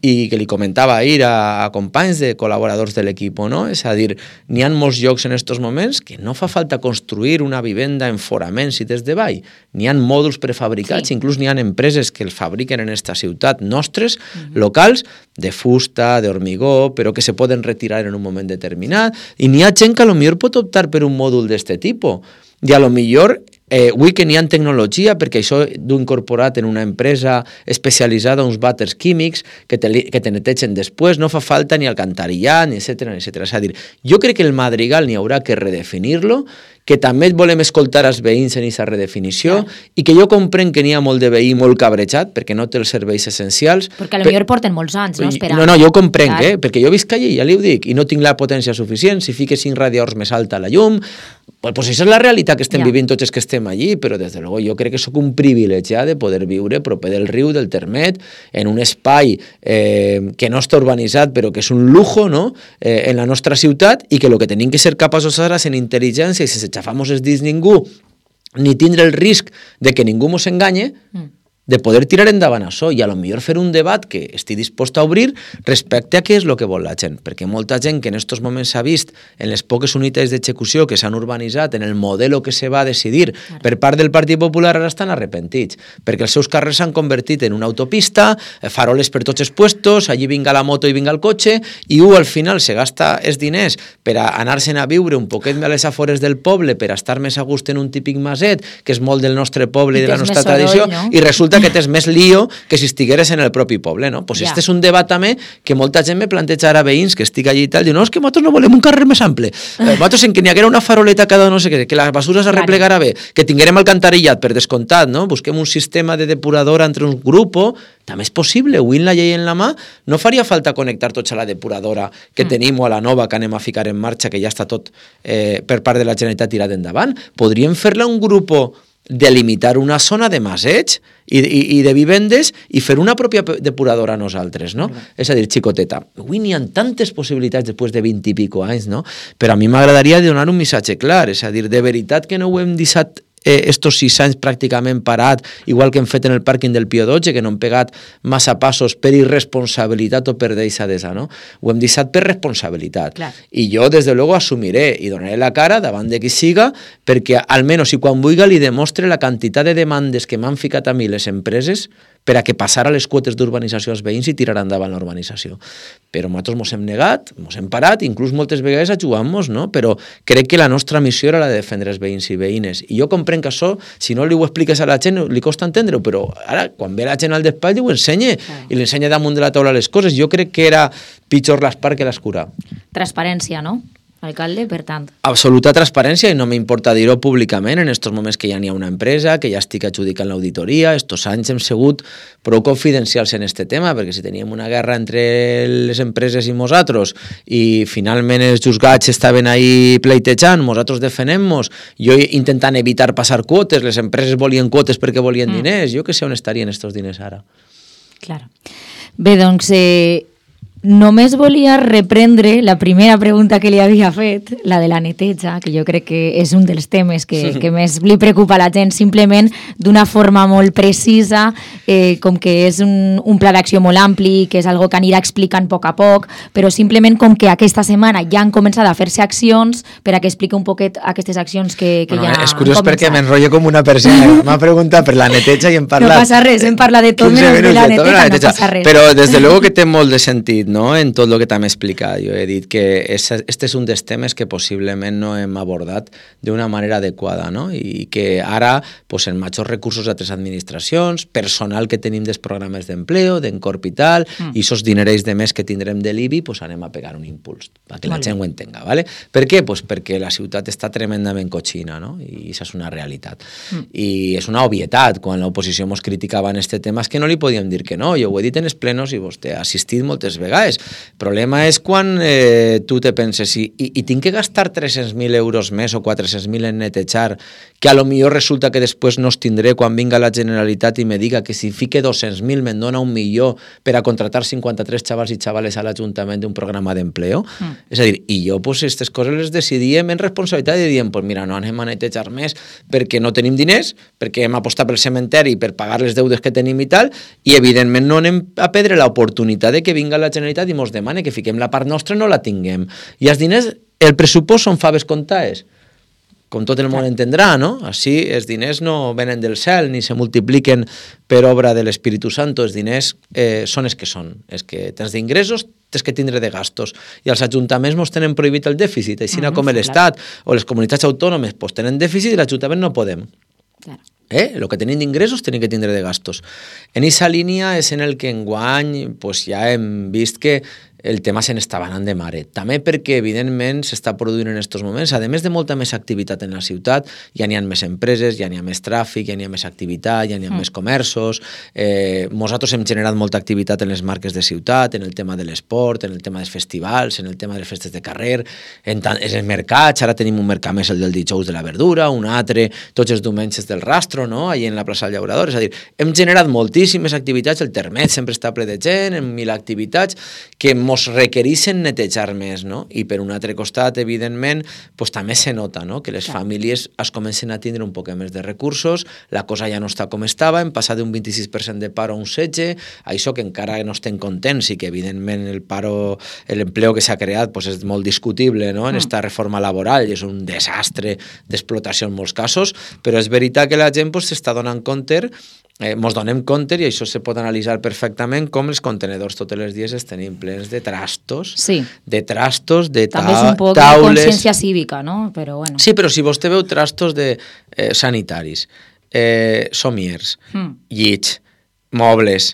i que li comentava ahir a companys de col·laboradors de l'equip, no? És a dir, n'hi ha molts llocs en aquests moments que no fa falta construir una vivenda en foraments i des de vall. N'hi ha mòduls prefabricats, inclús n'hi ha empreses que els fabriquen en esta ciutat nostres, locals, de fusta, d'hormigó, però que se poden retirar en un moment determinat. I n'hi ha gent que potser pot optar per un mòdul d'este tipus. I potser avui que n'hi ha tecnologia, perquè això d'ho incorporat en una empresa especialitzada, uns vàters químics que te netegen després, no fa falta ni alcantarillat, ni etcètera, etcètera. És a dir, jo crec que el Madrigal n'hi haurà que redefinir-lo, que també volem escoltar els veïns en aquesta redefinició i que jo comprenc que n'hi ha molt de veí molt cabrejat perquè no té els serveis essencials. Perquè potser porten molts anys, no? Esperant. No, jo ho comprenc, perquè jo visc allí, ja li ho dic, i no tinc la potència suficient. Si fiques 5 radiadors més alta la llum, pues això és la realitat que estem vivint tots els que estem allí, però des de luego jo crec que soc un privilegiat de poder viure proper del riu, del Termet, en un espai que no està urbanitzat, però que és un lujo, no?, en la nostra ciutat, i que el que tenim que ser capaços ara és en intel·ligència i sense xafar-nos els dits ningú, ni tindre el risc de que ningú mos enganye, de poder tirar endavant això i potser fer un debat que estigui dispost a obrir respecte a què és el que vol la gent, perquè molta gent que en aquests moments s'ha vist en les poques unitats d'execució que s'han urbanitzat, en el model que se va decidir per part del Partit Popular, ara estan arrepentits, perquè els seus carrers s'han convertit en una autopista, faroles per tots els puestos, allí vinga la moto i vinga el cotxe, i al final se gasta els diners per a anar-se'n a viure un poquet més a les afores del poble, per a estar més a gust en un típic maset, que és molt del nostre poble i de la nostra tradició, i resulta que tens més lío que si estigueres en el propi poble, no? Pues este és un debat també que molta gent me planteja ara veïns que estic allí i tal, diu, no, és que nosaltres no volem un carrer més ample, nosaltres en que n'hi haguera una faroleta cada no sé què, que la basura s'arreplegara bé, que tinguérem alcantarillat per descomptat, no? Busquem un sistema de depuradora entre un grup, també és possible, avui en la llei en la mà no faria falta connectar tots a la depuradora que tenim o a la nova que anem a ficar en marxa, que ja està tot per part de la Generalitat tirat endavant. Podríem fer-la un grup delimitar una zona de maseig i de vivendes i fer una pròpia depuradora a nosaltres, no? És a dir, xicoteta, avui n'hi ha tantes possibilitats després de 20 i pico anys, no? Però a mi m'agradaria donar un missatge clar, és a dir, de veritat que no ho hem deixat estos 6 anys pràcticament parat, igual que hem fet en el pàrquing del Pío XII, que no hem pegat massa passos per irresponsabilitat o per deixadesa, no? Ho hem deixat per responsabilitat. Clar. I jo, des de luego, assumiré i donaré la cara davant de qui siga, perquè almenys, si quan vulgui li demostre la quantitat de demandes que m'han ficat a mi les empreses per a que passara les quotes d'urbanització als veïns i tirar endavant l'urbanització. Però nosaltres ens hem negat, ens hem parat, inclús moltes vegades ajudant-nos, no? Però crec que la nostra missió era la de defendre els veïns i veïnes. I jo comprenc que això, si no li ho expliques a la gent, li costa entendre-ho, però ara, quan ve la gent al despatx, ho ensenya, i li ensenya damunt de la taula les coses. Jo crec que era pitjor l'espart que l'escura. Transparència, no? Alcalde, per tant. Absoluta transparència, i no m'importa dir-ho públicament en estos moments que ja n'hi ha una empresa, que ja estic adjudicant l'auditoria. Estos anys hem sigut prou confidencials en este tema, perquè si teníem una guerra entre les empreses i nosaltres i finalment els juzgats estaven ahí pleitejant, nosaltres defenem-nos, jo intentant evitar passar quotes, les empreses volien quotes perquè volien diners, jo que sé on estarien estos diners ara. Clar. Bé, doncs, Només volia reprendre la primera pregunta que li havia fet, la de la neteja, que jo crec que és un dels temes que més li preocupa a la gent, simplement d'una forma molt precisa, com que és un pla d'acció molt ampli, que és algo que anirà explicant a poc, però simplement com que aquesta setmana ja han començat a fer-se accions per a que expliqui un poquet aquestes accions que ja han començat. És curiós perquè m'enrotllo com una persona. M'ha preguntat per la neteja i hem parlat... No passa res, hem parlat de tot menys de la neteja, no passa res. Però des de luego que té molt de sentit, ¿no? En tot el que t'hem explicat. Jo he dit que este és un dels temes que possiblement no hem abordat d'una manera adequada, no? I que ara, pues, en majors recursos d'altres administracions, personal que tenim dels programes d'empleo, d'Encorp i tal, i esos dinerells de més que tindrem de l'IBI, pues, anem a pegar un impuls, perquè la gent ho entenga, ¿vale? Per què? Pues perquè la ciutat està tremendament cochina, no? I això és una realitat. I és una obvietat. Quan l'oposició mos criticava en este tema és que no li podíem dir que no. Jo ho he dit en els plenos i vostè ha assistit moltes vegades. El problema és quan tu te penses i tinc que gastar 300.000 euros més o 400.000 en netejar, que a lo millor resulta que després no els tindré quan vinga la Generalitat i me diga que si fique 200.000 me'n dona 1 milió per a contratar 53 xavals i xavales a l'Ajuntament d'un programa d'empleo. És a dir, i jo pues aquestes coses les decidíem en responsabilitat i diem, pues mira, no anem a netejar més perquè no tenim diners, perquè hem apostat pel cementeri per pagar les deudes que tenim i tal, i evidentment no anem a perdre l'oportunitat de que vinga la Generalitat i mos demane que fiquem la part nostra no la tinguem. I els diners, el pressupost són faves comptades, com tot el món entendrà, no? Així els diners no venen del cel ni se multipliquen per obra de l'Espíritu Santo, els diners són els que són. És que tens d'ingressos, tens que tindre de gastos. I els ajuntaments mos tenen prohibit el dèficit, així com l'Estat o les comunitats autònomes pues, tenen dèficit i l'Ajuntament no podem. El que tenim d'ingressos tenim que tindre de gastos. En aquesta línia és en el que enguany pues, ja hem vist que el tema se n'està anant de mare. També perquè, evidentment, s'està produint en aquests moments, a més de molta més activitat en la ciutat, ja n'hi ha més empreses, ja n'hi ha més tràfic, ja n'hi ha més activitat, ja n'hi ha més comerços. Nosaltres hem generat molta activitat en les marques de ciutat, en el tema de l'esport, en el tema dels festivals, en el tema de les festes de carrer, en els mercats. Ara tenim un mercat més, el del dijous de la verdura, un altre, tots els diumenges del Rastro, no? Allà en la plaça del Llaurador. És a dir, hem generat moltíssimes activitats, el termet sempre està ple de gent, en 1.000 activitats que mos requereixen netejar més, no? I per un altre costat, evidentment, pues, també se nota, no? Que les famílies es comencen a tindre un poc més de recursos, la cosa ja no està com estava, hem passat d'un 26% de paro a un 16%, això que encara no estem contents i que, evidentment, l'empleo que s'ha creat pues, és molt discutible, no? En esta reforma laboral i és un desastre d'explotació en molts casos, però és veritat que la gent pues, s'està donant compte mos donem compte, i això se pot analitzar perfectament, com els contenedors tots els dies es tenim plens de trastos, de trastos, de també és un poc taules... de consciència cívica, no? Però bueno. Sí, però si vostè veu trastos de sanitaris, somiers, llits, mobles,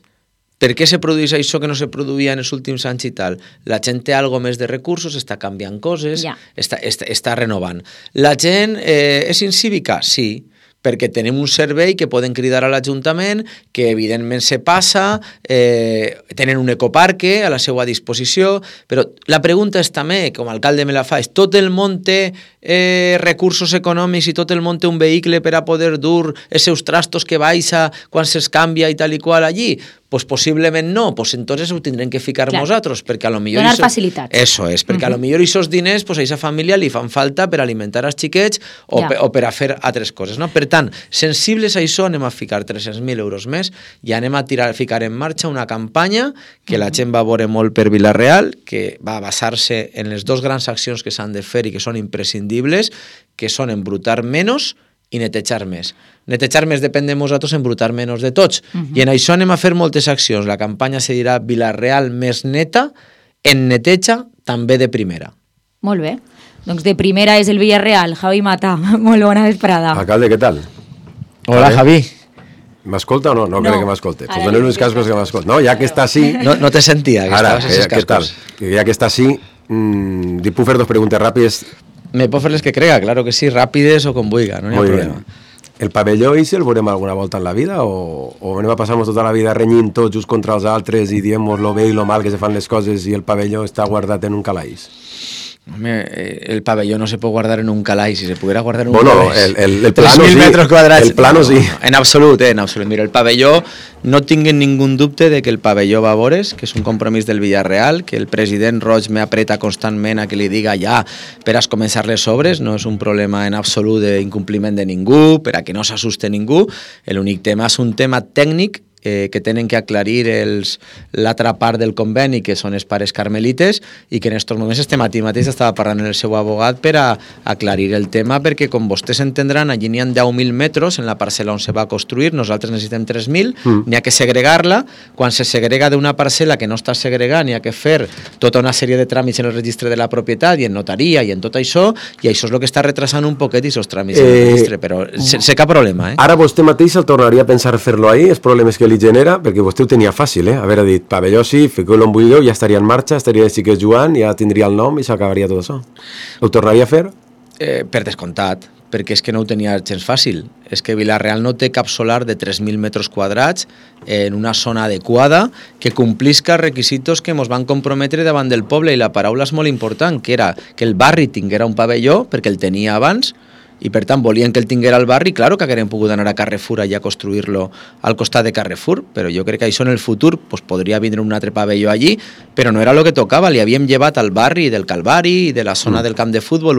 per què se produeix això que no se produïa en els últims anys i tal? La gent té algo més de recursos, està canviant coses, està renovant. La gent és incívica? Sí, perquè tenim un servei que poden cridar a l'Ajuntament, que evidentment se passa, tenen un ecoparque a la seva disposició, però la pregunta és també, com a alcalde me la fa, és tot el món té recursos econòmics i tot el món té un vehicle per a poder dur els seus trastos que baixa quan se'ls canvia i tal i qual allí? Pues possiblement no, pues entonces ho tindrem que ficar nosaltres, perquè a lo millor... Donar facilitats. Eso és, perquè a lo millor aquests diners pues, a aquesta família li fan falta per alimentar els xiquets o per a fer altres coses, no? Per tant, sensibles a això anem a ficar 300.000 euros més i anem a ficar en marxa una campanya que la gent va veure molt per Vila-real, que va basar-se en les dues grans accions que s'han de fer i que són imprescindibles, que són embrutar menys i netejar més. Netejar més depèn de nosaltres, embrutar menys de tots. I en això anem a fer moltes accions. La campanya se dirà Vila-real més neta, en neteja també de primera. Molt bé. Doncs de primera és el Villarreal. Javi Mata, molt bona vesprada. Alcalde, què tal? Hola, Javi. ¿M'escolta o no? No crec que m'escolte. Pues donen uns cascos que m'escolte. No, ja que està així... No te sentia, que estaves en els cascos. Ja que està així, li puc fer dos preguntes ràpides. Me puc fer les que crega, claro que sí, ràpides o com vulga, no hi ha problema. El pavelló i el veurem alguna volta en la vida o anem a passar-nos tota la vida renyint tots uns contra els altres i diem lo bé i lo mal que se fan les coses i el pavelló està guardat en un calaix? Home, el pabelló no se puede guardar en un calaix, si se pudiera guardar en un Bueno, calaix. el plano 3.000 sí, metres quadrats. el plano sí. En absolut, en absolut. Mira, el pabelló, no tinguen ningún dubte de que el pabelló va a vores, que és un compromís del Villarreal, que el president Roig me apreta constantment a que li diga ja per a començar les obres, no és un problema en absolut d'incompliment de ningú, per a que no s'assuste ningú. L'únic tema és un tema tècnic que tenen que aclarir l'altra part del conveni, que són els pares carmelites, i que en aquests moments aquí mateix estava parlant amb el seu abogat per a aclarir el tema, perquè com vostès entendran, allí n'hi ha 10.000 metres en la parcel·la on se va construir, nosaltres necessitem 3.000, n'hi ha que segregar-la, quan se segrega d'una parcel·la que no està segregada, n'hi ha que fer tota una sèrie de tràmits en el registre de la propietat i en notaria i en tot això, i això és el que està retrasant un poquet aquests tràmits en el registre, però sense cap problema. Ara vostè mateix el tornaria a pensar fer-lo ahí, els problemes que li genera, perquè vostè ho tenia fàcil, haver dit pavelló sí, fiqueu-lo en buideu, ja estaria en marxa, estaria de xiquets jugant, ja tindria el nom i s'acabaria tot això. Ho tornaria a fer? Per descomptat, perquè és que no ho tenia gens fàcil. És que Vilareal no té cap solar de 3.000 metres quadrats en una zona adequada que complisca requisitos que ens van comprometre davant del poble, i la paraula és molt important, que era que el barri tinguera un pavelló, perquè el tenia abans, i per tant volien que el tinguera al barri. Claro que hagueren pogut anar a Carrefour allà a construir-lo al costat de Carrefour, però jo crec que això en el futur pues, podria vindre un altre pavelló allí, però no era el que tocava, li havíem llevat al barri del Calvari i de la zona del camp de futbol